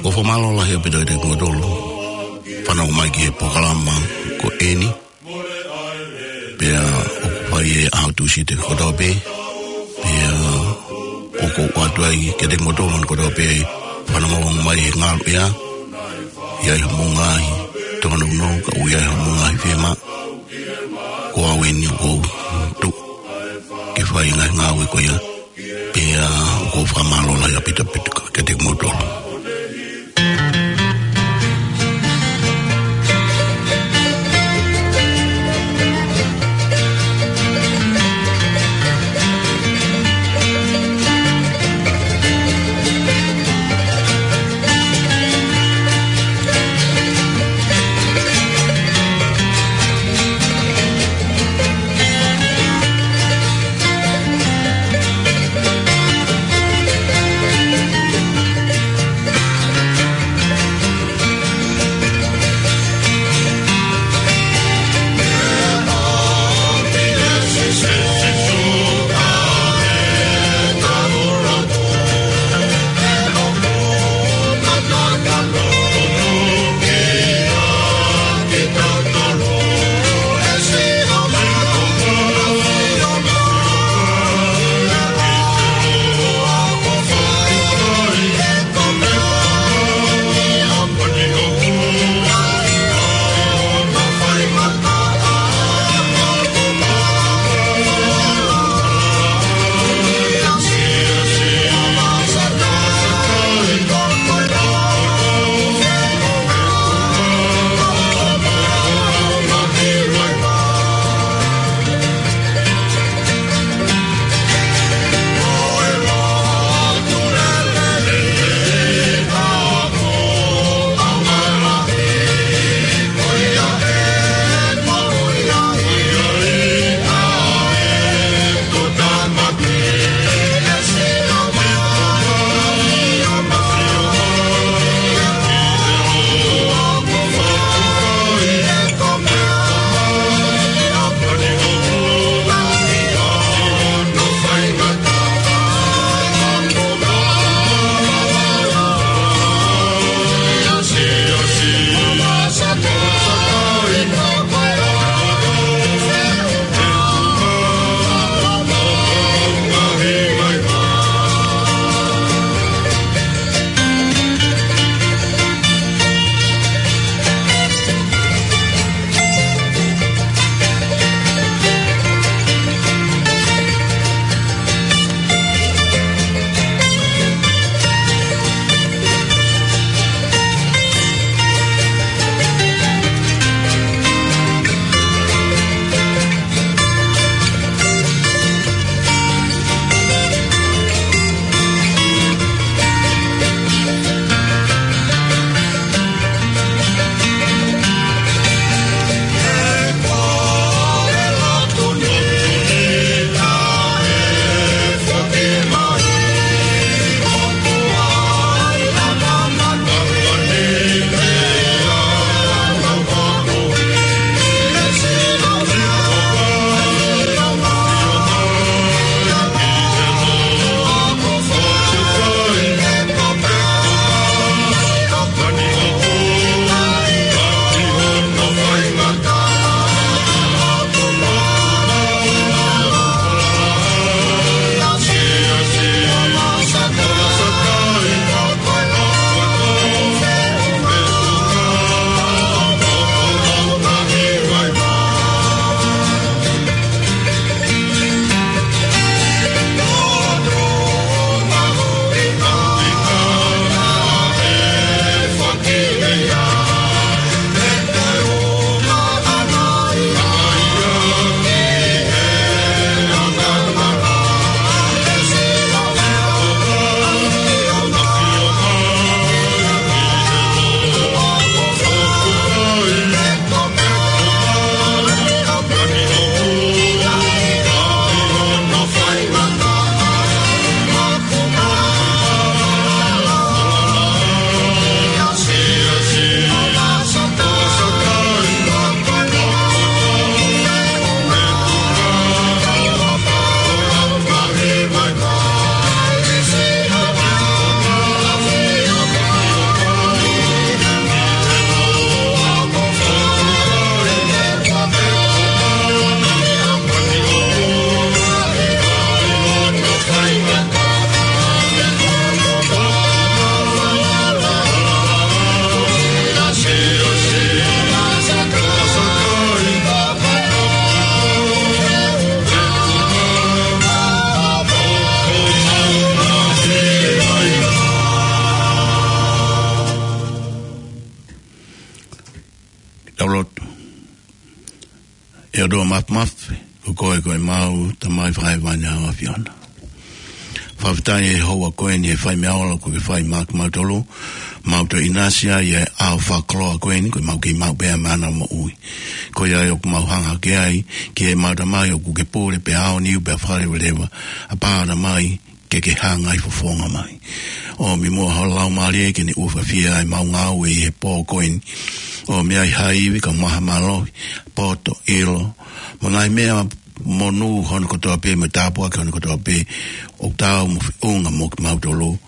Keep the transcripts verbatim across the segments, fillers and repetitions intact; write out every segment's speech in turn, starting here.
Ko e fakamālō lahi ʻaupito kiate kimoutolu fanongo mai ki he polokalama ko eni. Pea ʻoku fai ʻi he ʻaho Tūsite kotoa pē. Pea ʻoku ou ʻoatu ai kiate kimoutolu kotoa pē fanongo mai he ngaluʻea. ʻI ai hoʻomou ngaahi tōnounou, ka ʻoku ʻi ai hoʻomou ngaahi fiemaʻu. Ko au eni ʻoku ou tuʻu ke fai e ngaahi ngāue ko ia. Pea ʻoku ou fakamālō lahi ʻaupito ʻaupito kiate kimoutolu. lotu. ʻE ʻOtua Māfimafi, ko koe ko ʻemau Tamai fakahēvani ʻa e ʻAfiona. Fakafetaʻi he houa ko eni he fai meʻa ola kuo ke fai maʻa kimautolu, mau toe ʻinasi ai he ʻaho fakakoloa ko eni, ko ʻemau kei maʻu pē ʻa e mana moʻui. Ko ia ai ʻoku mau hanga hake ai ki heʻemau Tamai ʻoku ke pule pē ʻa e ʻaho ni pea fakaleveleva, ʻa pā Tamai, ke ke hangai fofonga mai. ʻOmi muʻa ho Laumālie ke ne ʻufiʻufi ʻa ʻemau ngāue ʻi he pō ko eni. ʻOmi ai ha ivi kae ʻumaʻā ha mālohi, poto, ʻilo, mo e ngaahi meʻa monū hono kotoa pē, mo e tāpuaki hono kotoa pē, ʻoku taau mo feʻunga mo kimautolu,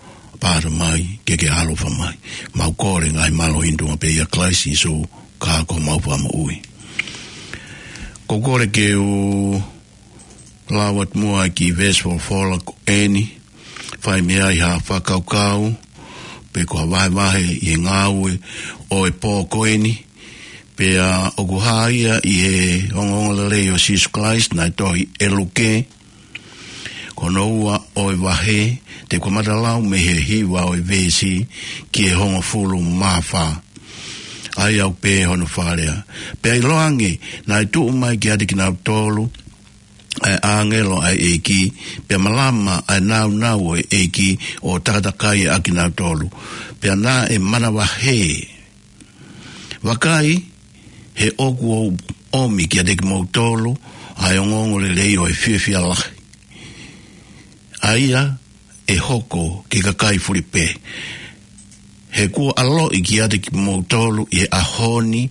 pā Tamai, ke ke ʻaloʻofa mai. Mau kole ngaahi mālohi ni ʻi he tuʻunga pē ʻia Kalaisi Sīsū, ko homau Fakamoʻui. Ko e kole ke u lau atu muʻa ki he veesi folofola ko eni, fai mei ai ha fakakaukau, pe ko ha vahevahe ʻi he ngāue ʻo e pō ko eni, pea ʻoku hā ia ʻi he ongoongolelei ʻo Sīsū Kalaisi naʻe tohi ʻe Luke, ko hono ua ʻo e vahe, te u kamata lau mei he hiva ʻo e veesi ki he hongofulu mā fā. ʻA ia ʻoku pehē hono fakalea. Pea ʻiloange, naʻe tuʻu mai kiate kinautolu ʻa e ʻāngelo ʻa e ʻEiki, pea malama ʻa e nāunau ʻo e ʻEiki ʻo takatakai ʻa kinautolu. Pea naʻe manavahē. Vakai, he ʻoku ou ʻomi kiate kimoutolu ʻa e ongoongolelei ʻo e fiefia lahi, ʻa ia ʻe hoko ki he kakai fuli pē. He kuo ʻaloʻi kiate kimoutolu ʻi he ʻaho ni,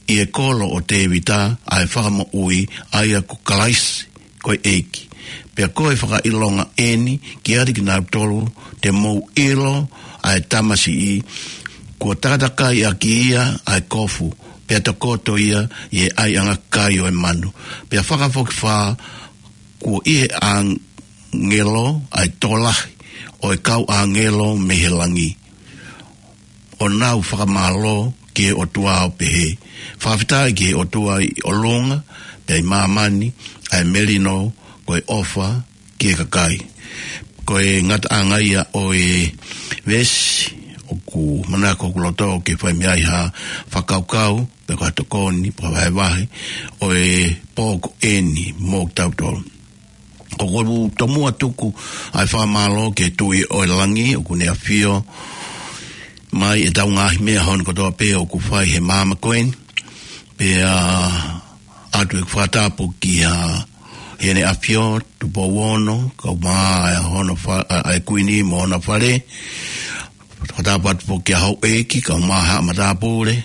ʻi he kolo ʻo Tēvita, ʻa e Fakamoʻui, ʻa ia ko Kalaisi, ko e ʻEiki. Pea ko e fakaʻilonga eni kiate kinautolu te mou ʻilo ʻa e tamasiʻi, kuo takatakai ʻaki ia ʻa e kofu, pea tokoto ia ʻi he ʻaiʻanga kai ʻo e manu. Pea fakafokifā, kuo ʻi he ʻāngelo ʻa e tokolahi ʻo e kau ʻāngelo mei he langi, ʻo nau fakamālō ki he ʻOtua ʻo pehē, fakafetaʻi ki he ʻOtua ʻi ʻolunga, pea ʻi māmani ʻa e melino ko e ʻofa ki he kakai. Ko e ngataʻanga ia ʻo e veesi ʻoku manako hoku loto ke fai mei ai ha fakakaukau, pe ko ha tokoni, pe ko ha vahevahe ʻo e pō ko eni mo kitautolu. ʻOku ou tomuʻa tuku ʻa e fakamālō ki he Tuʻi ʻo e langi, ʻoku ne ʻafio mai ʻetau ngaahi meʻa hono kotoa pē ʻoku fai he māmani ko eni. Pea ʻoatu ʻeku fakatapu ki he, Heʻene ʻAfio Tupou Ono, kae ʻumaʻā hono fa-, ʻa, ʻa e Kuini mo hona fale. Fakatapu atu foki ki he houʻeiki, kae ʻumaʻā haʻa matāpule.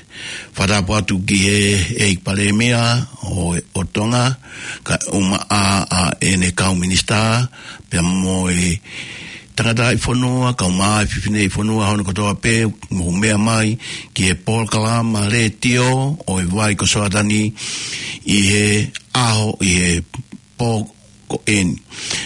Fakatapu atu ki he ʻEiki Palēmia ʻo, ʻo Tonga, kae ʻumaʻā ʻa ʻene kau minisitā, pea mo e tangataʻi fonua, kae ʻumaʻā e fefineʻi fonua hono kotoa pē, mou meʻa mai ki he polokalama letiō ʻo e Vai ko Soatani ʻi he ʻaho, ʻi he pō ko eni.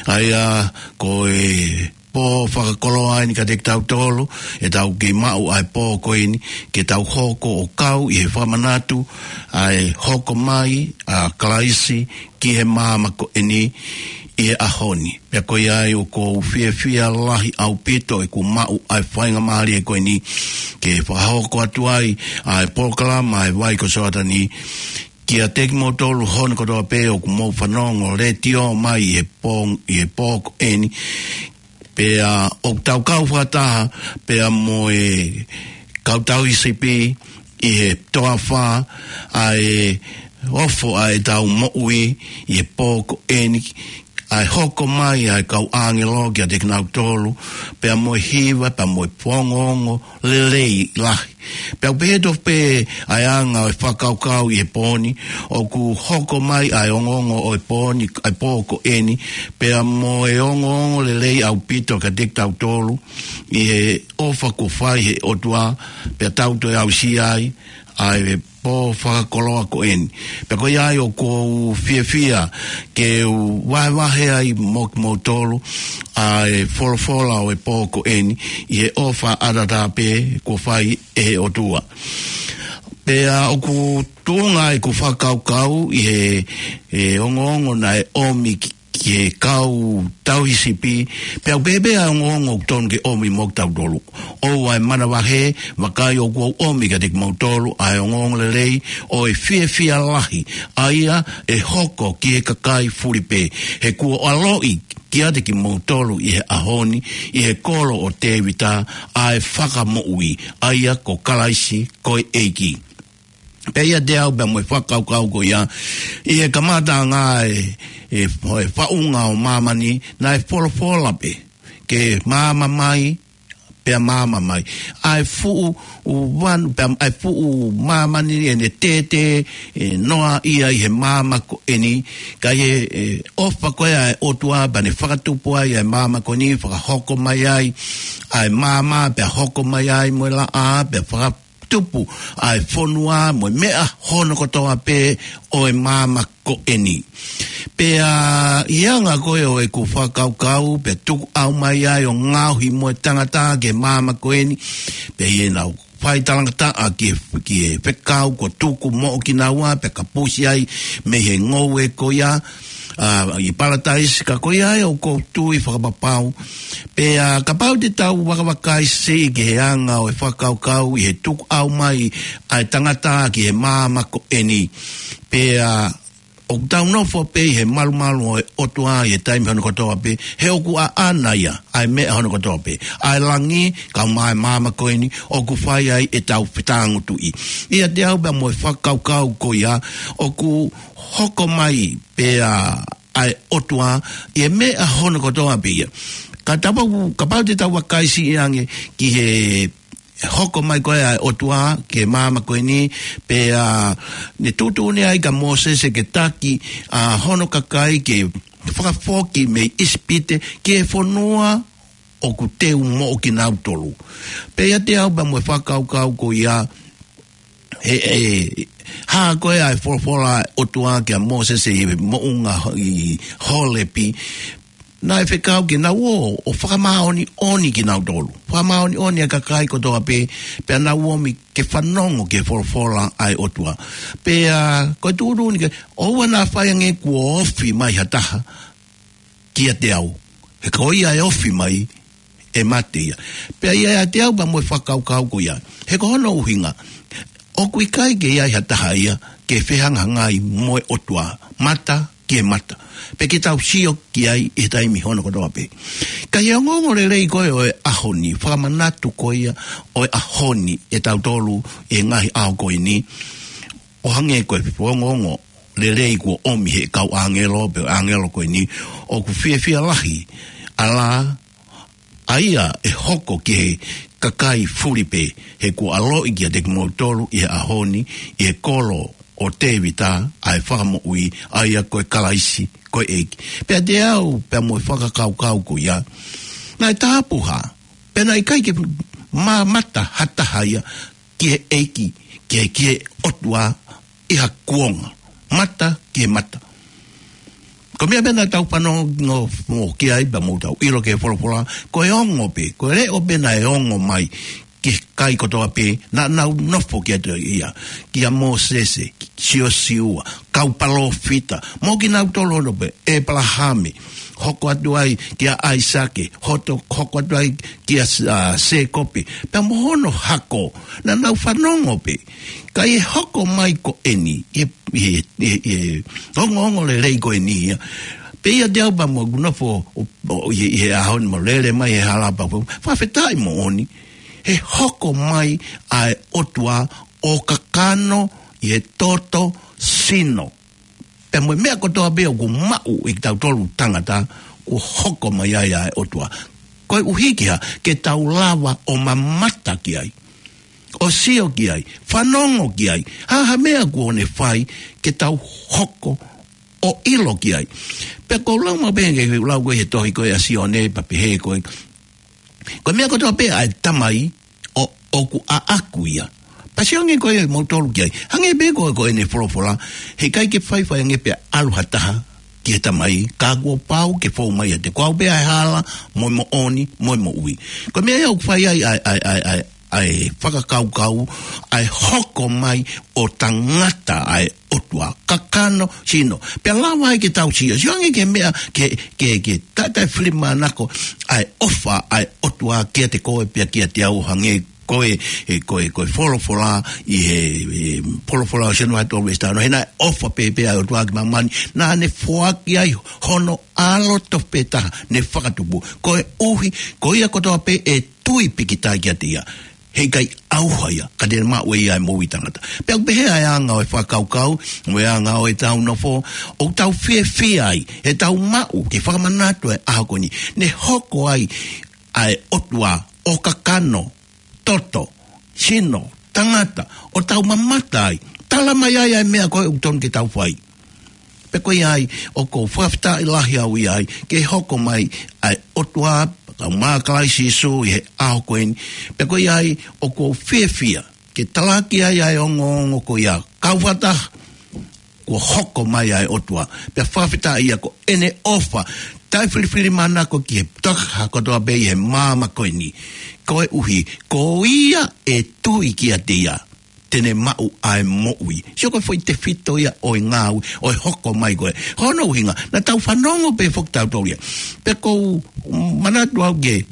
ʻA ia ko e pō fakakoloa eni kiate kitautolu, ʻetau kei maʻu ʻa e pō ko eni, ke tau hoko ʻo kau ʻi he fakamanatu ʻa e hoko mai ʻa Kalaisi ki he māmani ko eni ʻi he ʻaho ni. Pea ko ia ai ʻoku ou fiefia lahi ʻaupito ʻeku maʻu ʻa e faingamālie ko eni ke fakahoko atu ai ʻa e polokalama ʻa e Vai ko Soatani kiate kimoutolu hono kotoa pē ʻoku mou fanongo letiō mai ʻi he pō, ʻi he pō ko eni. Pea ʻoku tau kau fakataha pea mo e kau tauhi sipi ʻi he toafa ʻa e ofo ʻa ʻetau moʻui ʻi he pō ko eni, ʻa e hoko mai ʻa e kau ʻāngelo kiate kinautolu, pea mo e hiva, pea mo e ongoongo lelei lahi. Pea ʻoku pehē tofu pē ʻa e anga ʻo e fakakaukau ʻi he pō ni, ʻoku hoko mai ʻa e ongoongo ʻo e pō ni, ʻa e pō ko eni, pea mo e ongoongo lelei ʻaupito kiate kitautolu, ʻi he ʻofa kuo fai he ʻOtua, pea tau toe aʻusia ai ʻa e pō fakakoloa ko eni. Pea ko ia ai ʻoku ou fiefia ke u vahevahe ai mo kimoutolu ʻa e folofola ʻo e pō ko eni ʻi he ʻofa ʻataʻatā pē kuo fai ʻe he ʻOtua. Pea ʻoku tuʻunga ʻeku fakakaukau ʻi he, he ongoongo naʻe ʻomi ki, ki he kau tauhi sipi, pea ʻoku pehē pē ʻa e ongoongo ʻoku tonu ke ʻomi mo kitautolu. ʻOua ʻe manavahē, vakai ʻoku ou ʻomi kiate kimoutolu ʻa e ongoongo lelei ʻo e fiefia lahi, ʻa ia ʻe hoko ki he kakai fulipē. He kuo ʻaloʻi kiate kimoutolu ʻi he ʻaho ni, ʻi he kolo ʻo Tēvita, ʻa e Fakamoʻui, ʻa ia ko Kalaisi ko e ʻEiki. Pea ʻiate au pea mo e fakakaukau ko ia, ʻi he kamataʻanga e, e, e faʻunga ʻo māmani, naʻe folofola pē ke maama mai, pea maama mai. ʻA e fuʻu ʻu vanu, pea ʻa e fuʻu māmani ʻene tētē, e, noa ia ʻi he maama ko eni, ka ʻi he, e, ʻofa ko ia ʻa e ʻOtua, pea ne fakatupu ai ʻa e maama ko eni, fakahoko mai ai ʻa e maama, pea hoko mai ai mo e laʻā, pea faka- tupu ʻa e fonua mo e meʻa hono kotoa pē ʻo e maama ko eni. Pea ʻi he anga ko ē ʻo ʻeku fakakaukau, pea tuku ʻau mai ai ʻo ngaohi mo e tangata ki he maama ko eni, pea ʻi heʻenau fai talangataʻa ki he, ki he fekau kuo tuku moʻo kinaua, pea kapusi ai mei he ngoue ko ia, ʻa, ʻi Palataisi, ka ko ia ʻoku ou tui fakapapau. Pea kapau te tau vakavakai siʻi ki he anga ʻo e fakakaukau ʻi he tuku ʻau mai ʻa e tangata ki he maama ko eni. Pea ʻoku tau nofo pē ʻi he malumalu ʻo e ʻOtua ʻi he taimi hono kotoa pē, he ʻoku ʻaʻana ia ʻa e meʻa hono kotoa pē. ʻA e langi, kae ʻumaʻā e maama ko eni, ʻoku fai ai ʻetau fetāngutuʻi. ʻIate au pea mo e fakakaukau ko ia, ʻoku hoko mai pē ʻa, ʻa e ʻOtua ʻi he meʻa hono kotoa pē ia. Ka tau, kapau te tau vakai siʻi ange ki he hoko mai ko ē ʻa e ʻOtua ki he maama ko eni, pea ne tuʻutuʻuni ai kia Mōsese ke taki ʻa hono kakai ke fakafoki mei ʻIsipite ki he fonua ʻoku teu moʻo kinautolu. Pea ʻiate au pea mo e fakakaukau ko ia, he, he, hā ko ē ʻa e folofola ʻa e ʻOtua kia Mōsese ʻi he moʻunga ʻi Holepi, naʻe fekau ke nau ō ʻo fakamāʻoniʻoni kinautolu. Fakamāʻoniʻoni ʻa e kakai kotoa pē, pea nau ōmi ke fanongo ki he folofola ʻa e ʻOtua. Pea ko e tuʻutuʻuni ke, ʻoua naʻa fai ange kuo ofi mai ha taha kiate au. He ko ia ʻe ofi mai, ʻe mate ia. Pea ʻiate au pea mo e fakakaukau ko ia. He ko hono ʻuhinga, ʻoku ʻikai ke ʻi ai ha taha ia ke fehangahangai mo e ʻOtua, mata ki he mata. Pea ke tau sio ki ai ʻi he taimi hono kotoa pē. Ka ʻi he ongoongo lelei ko ē ʻo e ʻaho ni, fakamanatu ko ia ʻo e ʻaho ni ʻe tautolu ʻi he ngaahi ʻaho ko eni, ʻo hangē ko e ongoongo lelei kuo ʻomi he kau ʻāngelo, pe ʻāngelo ko eni, ʻoku fiefia lahi, ʻa la, ʻa ia ʻe hoko ki he kakai fulipē, he kuo ʻaloʻi kiate kimoutolu ʻi he ʻaho ni, ʻi he kolo ʻo Tēvita, ʻa e Fakamoʻui, ʻa ia ko e Kalaisi, ko e ʻEiki. Pea ʻiate au, pea mo e fakakaukau ko ia, naʻe tāpuhā, pea naʻe ʻikai ke mamata ha taha ia ki he ʻEiki, ki he, ki he ʻOtua ʻi ha kuonga, mata ki he mata. Ko e meʻa pē naʻa tau fanongo mo ki ai pea mo tau ʻilo ki he folofola, ko e ongo pē, ko e leʻo pē naʻe ongo mai ki he kakai kotoa pē naʻa nau nofo kiate ia, kia Mōsese, Siosiua, kau palōfita, mo kinautolu hono pē, ʻĒpalahame, hoko atu ai kia ʻAisake, hoto, hoko atu ai kia S-, ʻa, Sēkope, pea mo hono hako, naʻa nau fanongo pē. Ka ʻi he hoko mai ko eni, ʻi he, ʻi he, ʻi he, ʻi he ongoongo lelei ko eni ia. Pea ʻiate au pea mo ʻeku nofo, ʻo, ʻo, ʻi he, ʻi he ʻaho ni mo lele mai he hala pea, fakafetaʻi moʻoni. He hoko mai ʻa e ʻOtua ʻo kakano ʻi he toto sino. Pea mo e meʻa kotoa pē ʻoku maʻu ʻe kitautolu tangata, kuo hoko mai ai ʻa e ʻOtua. Koeʻuhi ke hā, ke tau lava ʻo mamata ki ai, ʻo sio ki ai, fanongo ki ai, ha, ha meʻa kuo ne fai ke tau hoko ʻo ʻilo ki ai. Pea ʻoku ou lau maʻu pē ke lau ko ē he tohi ko ē ʻa Sione, pea pehē ko ē, ko e meʻa kotoa pē ʻa e Tamai, ʻo, ʻoku ʻaʻaku ia. Pea sio ange ko ē moutolu ki ai. Hangē pē ko ē ko ʻene folofola, heʻikai ke faifai ange pea ʻalu ha taha ki he Tamai, ka kuo pau ke fou mai ʻiate au. Ko au pē ʻa e hala, mo e moʻoni, mo e moʻui. Ko e meʻa ia ʻoku fai ai ʻa e, ʻa e, ʻa e, ʻa e, ʻa e fakakaukau, ʻa e hoko mai ʻo tangata ʻa e ʻOtua, kakano, sino. Pea lava ai ke tau sio, sio ange ki he meʻa, ke, ke, ke taʻe, taʻe filimānako ʻa e ʻofa ʻa e ʻOtua kiate koe pea kiate au, hangē ko e, e, ko e, ko e folofola ʻi he, e, folofola ʻo Sione vahe tolu veesi taha ono, he naʻe ʻofa pehē pē ʻa e ʻOtua ki māmani, naʻa ne foaki ai hono ʻAlo tofu pē taha ne fakatupu, koeʻuhi ko ia kotoa pē ʻe tui pīkitai kiate ia, heʻikai ʻauha ia, ka te ne maʻu ʻe ia ʻa e moʻui taʻengata. Pea ʻoku pehē ʻa e anga ʻo e fakakaukau, mo e anga ʻo ʻetau nofo, ʻoku tau fiefia ai heʻetau maʻu ke fakamanatu ʻa e ʻaho ko eni, ne hoko ai ʻa e ʻOtua ʻo kakano, toto, sino, tangata, ʻo tau mamata ai, tala mai ai ʻa e meʻa ko ē ʻoku tonu ke tau fai. Pea ko ia ai, ʻoku ou fakafetaʻi lahi au ia ai, ke hoko mai ʻa e ʻOtua, kae ʻumaʻā Kalaisi Sīsū ʻi he ʻaho ko eni. Pea ko ia ai, ʻoku ou fiefia ke talaki ai ʻa e ongoongo ko ia, kau fakataha, kuo hoko mai ʻa e ʻOtua. Pea fakafetaʻi ia ko ʻene ʻofa taʻe filifilimānako ki he tokotaha kotoa pē ʻi he māmani ko eni. Koeʻuhi, ko ia ʻe tui kiate ia, te ne maʻu ʻa e moʻui. Sio ko e foʻi tefito ia ʻo e ngāue, ʻo e hoko mai ko ē. Hono ʻuhinga, naʻa tau fanongo pē foki tautolu ia. Pea ʻoku ou manatu au ke,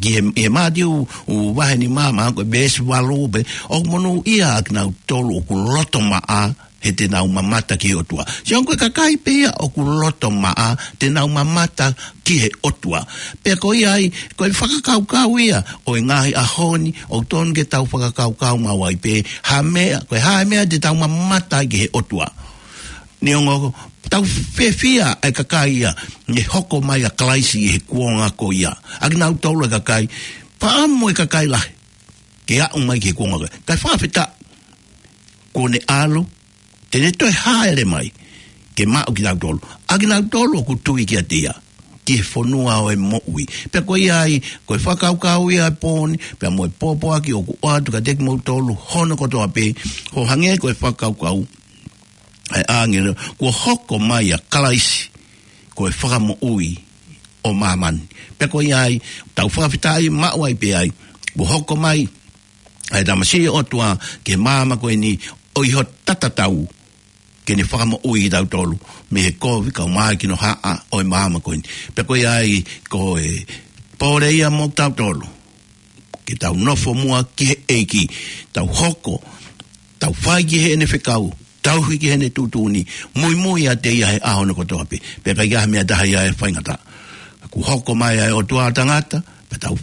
ki he, he Mātiu, ʻū vahe nima, mahalo ko e veesi valu pē, ʻoku monūʻia ʻa kinautolu ʻoku loto maʻa, he te nau mamata ki he ʻOtua. Sio ko e kakai pē ia ʻoku loto maʻa, te nau mamata ki he ʻOtua. Pea ko ia ai, ko e fakakaukau ia ʻo e ngaahi ʻaho ni, ʻoku tonu ke tau fakakaukau maʻu ai pē, ha meʻa, ko e hā e meʻa te tau mamata ai ki he ʻOtua. Neongo, tau fiefia ʻa e kakai ia, ne hoko mai ʻa Kalaisi ʻi he kuonga ko ia. ʻA kinautolu ʻa e kakai, fakaʻamu ʻa e kakai lahi ke aʻu mai ki he kuonga ko ia. Kae fakafetaʻi, kuo ne ʻalu, te ne toe hāʻele mai ke maʻu kitautolu, ʻa kinautolu ʻoku tui kiate ia, ki he fonua ʻo e moʻui. Pea ko ia ai, ko e fakakaukau ia ʻa e pō ni, pea mo e pōpoaki ʻoku ʻoatu kiate kimoutolu hono kotoa pē, ʻo hangē ko e fakakaukau ʻa e ʻāngelo, kuo hoko mai ʻa Kalaisi, ko e Fakamoʻui ʻo māmani. Pea ko ia ai, tau fakafetaʻi maʻu ai pē ai, kuo hoko mai ʻa e Tamasiʻi ʻo e ʻOtua ki māmani ko eni, ʻo ʻi hono tatau ke ne fakamoʻui kitautolu mei he kovi kae ʻumaʻā e kinohaʻa ʻo e māmani ko eni. Pea ko ia ai, ko e pole ia mo kitautolu, ke tau nofo muʻa ki he ʻEiki, tau hoko, tau fai ki heʻene fekau, tauhi ki heʻene tuʻutuʻuni, muimui ʻiate ia he ʻaho ni kotoa pē. Pea ʻikai ha meʻa ʻe taha ia ʻe faingataʻa. Kuo hoko mai ʻa e ʻOtua tangata, pea tau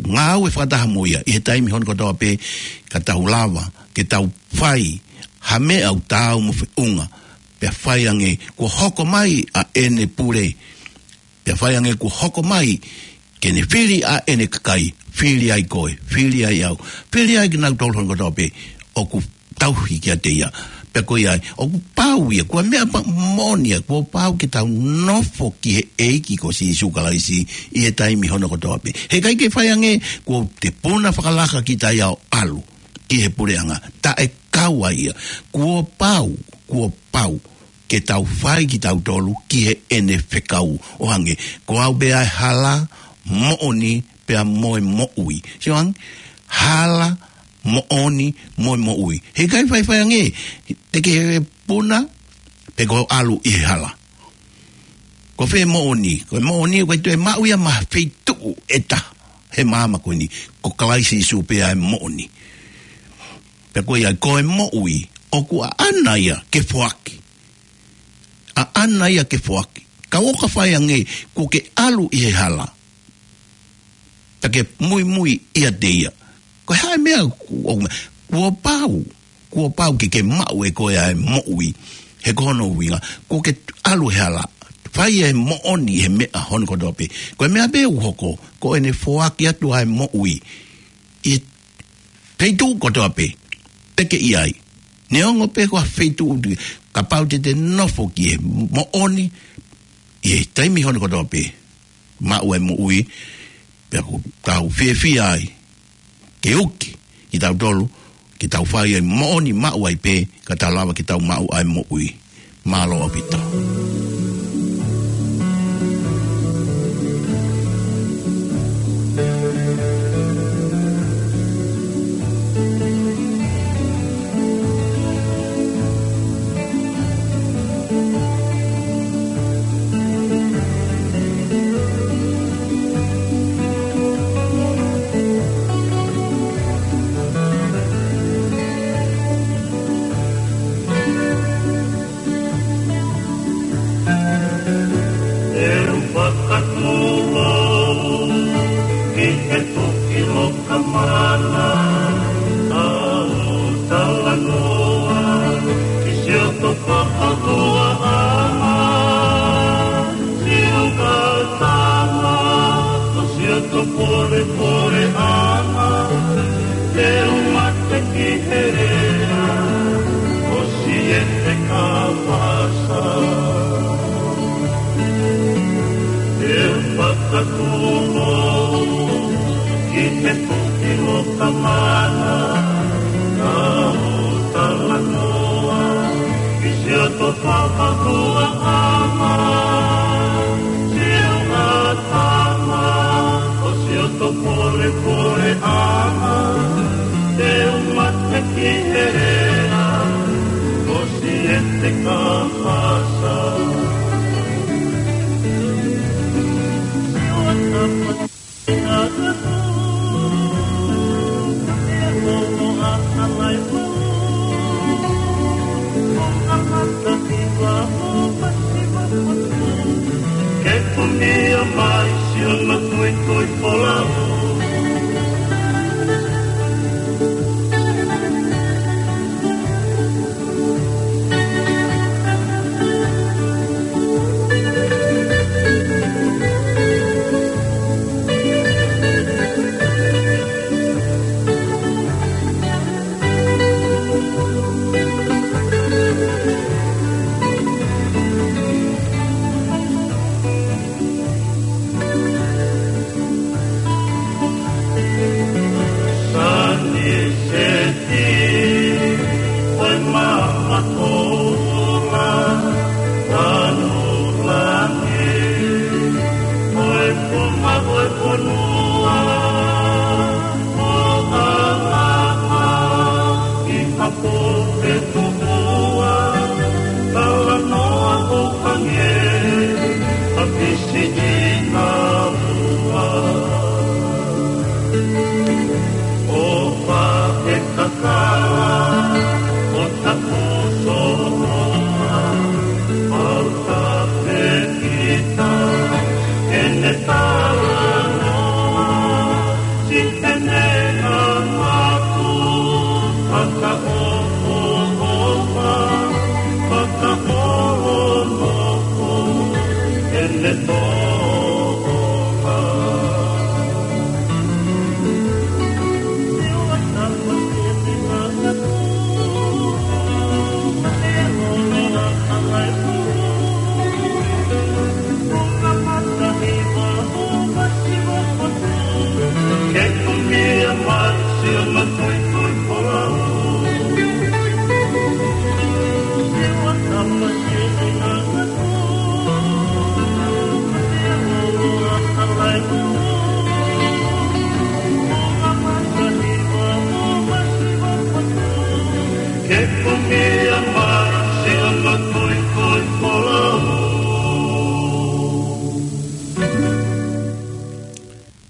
ngāue fakataha mo ia ʻi he taimi hono kotoa pē, ka tau lava ke tau fai ha meʻa ʻoku taau mo e feʻunga. Pea fai ange, kuo hoko mai ʻa ʻene pule, pea fai ange kuo hoko mai ke ne fili ʻa ʻene kakai, fili ai koe, fili ai au, fili ai kinautolu hono kotoa pē ʻoku tauhi kiate ia. Pea ko ia ai, ʻoku pau ia, ko e meʻa pē moʻoni ia, kuo pau ke tau nofo ki he ʻEiki ko Sīsū Kalaisi ʻi he taimi hono kotoa pē. Heʻikai ke fai ange, kuo te puna fakalaka kita ia ʻo ʻalu ki he puleʻanga. Taʻe kau ai ia. Kuo pau, kuo pau ke tau fai kitautolu ki heʻene fekau, ʻo hangē ko au pē ʻa e hala, moʻoni, pea mo e moʻui. Sio ange, hala, moʻoni, mo e moʻui. Heʻikai faifai ange, te ke puna, pe ko e ʻalu ʻi he hala. Ko fē moʻoni, ko e moʻoni, ko e toe maʻu ia mei ha feituʻu ʻe taha he māmani ko eni, ko Kalaisi Sīsū pē ʻa e moʻoni. Pea ko ia, ko e moʻui, ʻoku ʻaʻana ia ke foaki. ʻAʻana ia ke foaki. Ka ʻoka fai ange, kuo ke ʻalu ʻi he hala, pea ke muimui ʻiate ia. Ko e hā e meʻa, kuo, kuo pau, kuo pau ke ke maʻu ʻe koe ʻa e moʻui. He ko hono ʻuhinga, kuo ke ʻalu he hala, fai e moʻoni he meʻa hono kotoa pē. Ko e meʻa pē ʻoku hoko, ko ʻene foaki atu ʻa e moʻui ʻi he feituʻu kotoa pē te ke ʻi ai. Neongo pē ko ha feituʻu, kapau te te nofo ki he moʻoni ʻi he taimi hono kotoa pē, maʻu ʻa e moʻui, pea ʻoku tau fiefia ai ke uki kitautolu, ke tau fai ʻa e moʻoni maʻu ai pē, ka tau lava ke tau maʻu ʻa e moʻui. Mālō ʻaupito. Pole pole anga, te u mate ki he lea, ʻo siete ka pasa. Te u fakatuʻu ki he puki mo ka mana, ka u talanoa, ki siʻoto fakahuaʻanga, siʻo ʻatama, ʻo siʻoto pole pole ʻanga, te u mate ki he lea, ʻo siete ka pasa. Ke kumia mai siʻono tuitui folau.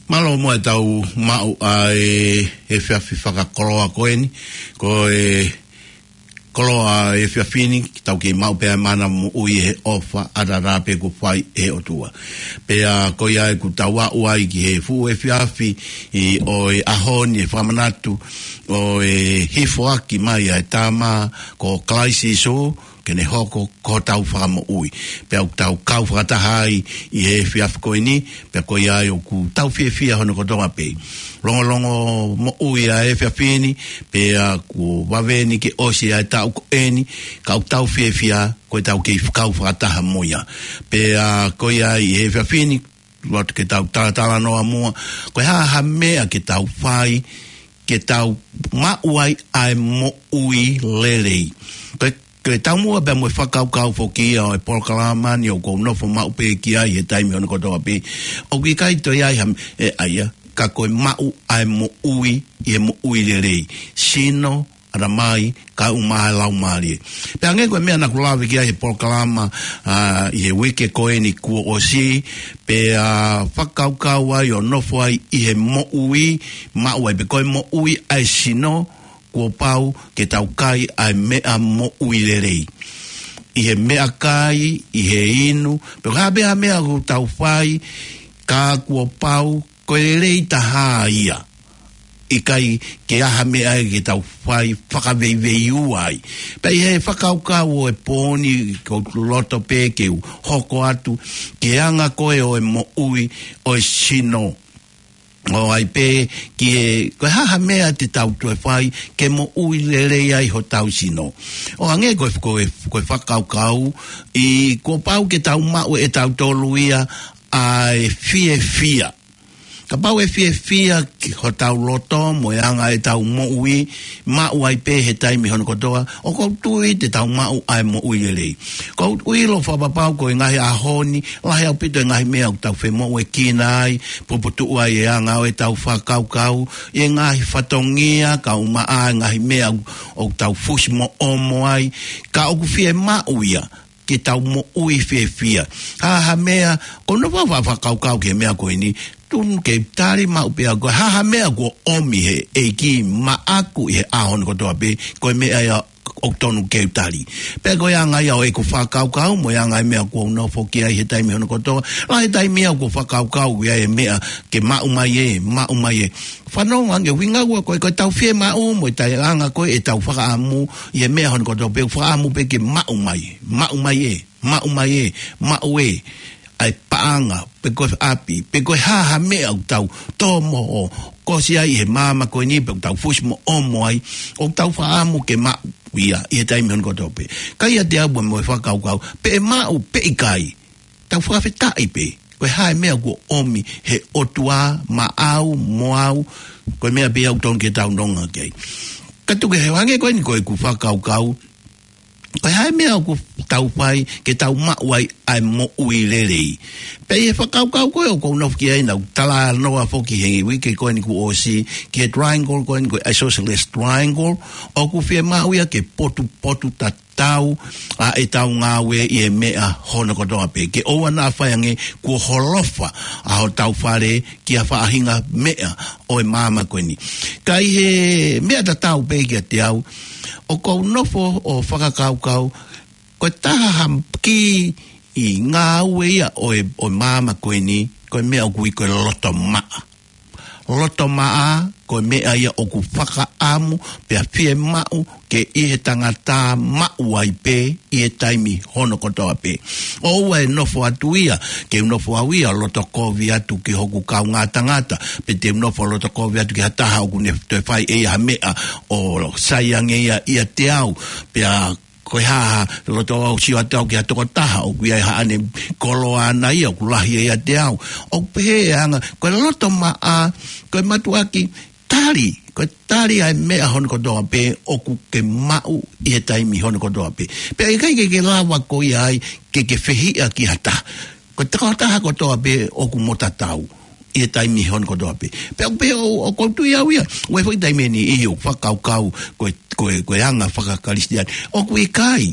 Mālō muʻa ʻetau maʻu ʻa e efiafi fakakoloa ko eni, ko e koloa efiafi ni, ke tau kei maʻu pē ʻa e mana moʻui he ʻofa ʻataʻatā pē kuo fai ʻe he ʻOtua. Pea ko ia ʻoku tau aʻu ai ki he fuʻu efiafi ʻo e ʻaho ni, ʻa e fakamanatu ʻo e hifoaki mai ʻa e Tama ko Kalaisi Sīsū, ke ne hoko ko hotau fakamoʻui. Pea ʻoku tau kau fakataha ai ʻi he efiafi ko eni, pea ko ia ai ʻoku tau fiefia hono kotoa pē. Longolongo moʻui ʻa e efiafi ni, pea kuo vave eni ke ʻosi ʻa e taʻu ko eni, ka ʻoku tau fiefia ko ʻetau kei kau fakataha mo ia. Pea ko ia ai ʻi he efiafi ni, loto ke tau talatalanoa muʻa, ko e hā ha meʻa ke tau fai, ke tau maʻu ai ʻa e moʻui lelei. Ko e, ko e taumuʻa pea mo e fakakaukau foki ia ʻo e polokalama ni ʻoku ou nofo maʻu pē ki ai he taimi hono kotoa pē. ʻOku ʻikai toe ʻi ai ha, ʻe, ʻa ia, ka ko e maʻu ʻa e moʻui, ʻi he moʻui lelei. Sino, ʻatamai, kae ʻumaʻā e laumālie. Pea hangē ko e meʻa naʻa ku lave ki ai he polokalama, ʻa, ʻi he uike ko eni kuo ʻosi, pea fakakaukau ai ʻo nofo ai ʻi he moʻui, maʻu ai pē ko e moʻui ʻa e sino, kuo pau ke tau kai ʻa e meʻa moʻui lelei. ʻI he meʻakai, ʻi he inu, pe ko e hā pē ha meʻa ʻoku tau fai, ka kuo pau, ko e lelei taha ia. ʻIkai ke ʻi ai ha meʻa ia ke tau fai fakaveiveiua ai. Pea ʻi he fakakaukau ʻo e pō ni, ʻoku ou loto pē ke u hoko atu ki he anga ko ē ʻo e moʻui ʻo e sino. ʻo ʻai pē ki he, ko e hā ha meʻa te tau toe fai ke moʻui lelei ai hotau sino. ʻO hangē ko e, ko e, ko e fakakaukau, ʻi kuo pau ke tau maʻu ʻe tautolu ia ʻa e fiefia. Kapau ʻe fiefia ki hotau loto mo e anga ʻetau moʻui, maʻu ai pē he taimi hono kotoa, ʻoku ou tui te tau maʻu ʻa e moʻui lelei. ʻOku ou ʻilo fakapapau ko e ngaahi ʻaho ni, lahi ʻaupito e ngaahi meʻa ʻoku tau femoʻuekina ai, puputuʻu ai e anga ʻo ʻetau fakakaukau, ʻi he ngaahi fatongia, kae ʻumaʻā e ngaahi meʻa ʻoku, ʻoku tau fusi mo ʻomo ai, ka ʻoku fiemaʻu ia ke tau moʻui fiefia. Hā ha meʻa, ʻoku ou nofo ʻo fakakaukau ki he meʻa ko eni, tonu ke tali maʻu pē ʻe au, ko e hā ha meʻa kuo ʻomi he ʻEiki maʻaku ʻi he ʻaho ni kotoa pē, ko e meʻa ia ʻoku tonu ke u tali. Pea ko e anga ia ʻo ʻeku fakakaukau, mo e anga e meʻa ʻoku ou nofo ki ai he taimi hono kotoa, lahi e taimi ia ʻoku ou fakakaukau ia e meʻa ke maʻu mai ē, maʻu mai ē. Fanongo ange, ʻuhinga ʻoku, ko e, ko ʻetau fiemaʻu, mo e taʻeʻaonga ko ē ʻetau fakaʻamu, ʻi he meʻa hono kotoa pē, fakaʻamu pē ke maʻu mai, maʻu mai ē, maʻu mai ē, maʻu ē, ʻa e paʻanga, pe ko e ʻapi, pe ko e hā ha meʻa ʻoku tau tō mo ʻo kosi ai he māmani ko eni, pe ʻoku tau fusi mo ʻomo ai, ʻoku tau fakaʻamu ke maʻu ia, ʻi he taimi hono kotoa pē. Ka ʻiate au mo e fakakaukau, pe ʻe maʻu, pe ʻikai, tau fakafetaʻi pē. Ko e hā e meʻa kuo ʻomi he ʻOtua maʻau, mo au, ko e meʻa pē ia ʻoku tonu ke tau nonga ki ai. Ka tuku he hangē ko eni ko ʻeku fakakaukau, ko e hā e meʻa ʻoku tau fai ke tau maʻu ai ʻa e moʻui lelei. Pea ʻi he fakakaukau ko ē ʻoku ou nofo ki ai, naʻá ku talanoa foki he uike ko eni kuo ʻosi, ki he triangle ko eni ko e isosceles triangle, ʻoku fiemaʻu ia ke potupotutatau ʻa ʻetau ngāue ʻi he meʻa hono kotoa pē. Ke ʻoua naʻa fai ange kuo holofa ʻa hotau fale ki ha faʻahinga meʻa ʻo e māmani ko eni. Ka ʻi he meʻa tatau pē kiate au, ʻoku ou nofo ʻo fakakaukau, ko e taha ha kī ʻi he ngāue ia ʻo e, ʻo e māmani ko eni, ko e meʻa ʻoku ui ko e loto maʻa. Loto maʻa, ko e meʻa ia ʻoku fakaʻamu, pea fiemaʻu ke ʻi he tangata maʻu ai pē ʻi he taimi hono kotoa pē. ʻOua ʻe nofo atu ia, ke u nofo au ia loto kovi atu ki hoku kaungā tangata, pe te u nofo loto kovi atu ki ha taha ʻoku ne toe fai ʻe ia ha meʻa ʻo sai ange ia ʻiate au, pea ko e hā ha loto au sio atu au ki ha tokotaha ʻoku ʻi ai haʻane koloa ʻana ia ʻoku lahi ʻiate au. ʻOku pehē ʻe anga, ko e loto maʻa, ko e mātuʻaki tali, ko e tali ʻa e meʻa hono kotoa pē ʻoku ke maʻu ʻi he taimi hono kotoa pē. Pea ʻikai ke ke lava ko ia ai ke ke fehiʻa ki ha taha. Ko e tokotaha kotoa pē ʻoku mo tatau ʻi he taimi hono kotoa pē. Pea ʻoku pehē ʻo, ʻoku ou tui au ia, ʻoku ʻi ai foki taimi ʻe niʻihi ʻoku fakakaukau ko e, ko e, ko e anga fakakalisitiane. ʻOku ʻikai,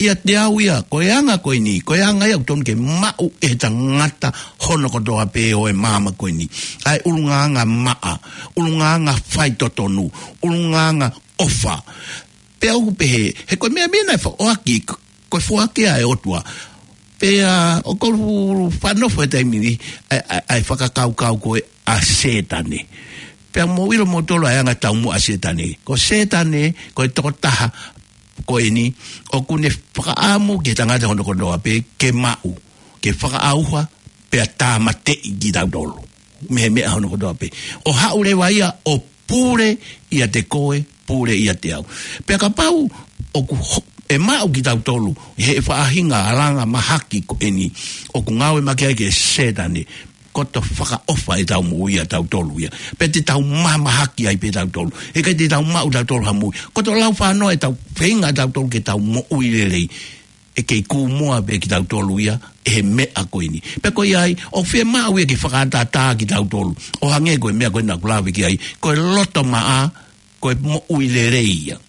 ʻiate au ia, ko e anga ko eni, ko e anga ia ʻoku tonu ke maʻu ʻe he tangata hono kotoa pē ʻo e māmani ko eni. ʻA e ʻulungaanga maʻa, ʻulungaanga faitotonu, ʻulungaanga ʻofa. Pea ʻoku pehē, he ko e meʻa meʻa naʻe foaki, ko e foaki ʻa e ʻOtua. Pea ʻoku ou faʻa nofo he taimi ni, ʻa e, ʻa e, ʻa e fakakaukau ko ē ʻa Sētane. Pea mou ʻilo moutolu ʻa e anga taumuʻa ʻa Sētane. Ko Sētane, ko e tokotaha ko eni, ʻoku ne fakaʻamu ki he tangata hono kotoa pē ke maʻu, ke fakaʻauha, pea tāmateʻi kitautolu mei he meʻa hono kotoa pē. ʻO haʻu leva ia ʻo pule ʻiate koe, pule ʻiate au. Pea kapau ʻoku ho-, ʻe maʻu kitautolu he faʻahinga ʻalunga mahaki ko eni ʻoku ngāue mai ki ai ʻa Sētane, koto fakaʻofa ʻetau moʻui ʻatautolu ia. Pea te tau mahamahaki ai pē tautolu. He ʻikai te tau maʻu tautolu ha moʻui. Koto lau fānau ʻetau feinga ʻatautolu ke tau moʻui lelei. ʻE kei kū moa pē kitautolu ia ʻe he meʻa ko eni. Pea ko ia ai, ʻoku fiemaʻu ia ke fakatātā kitautolu. ʻO hangē ko e meʻa ko ē naʻá ku lave ki ai, ko e loto maʻa, ko e moʻui lelei ia.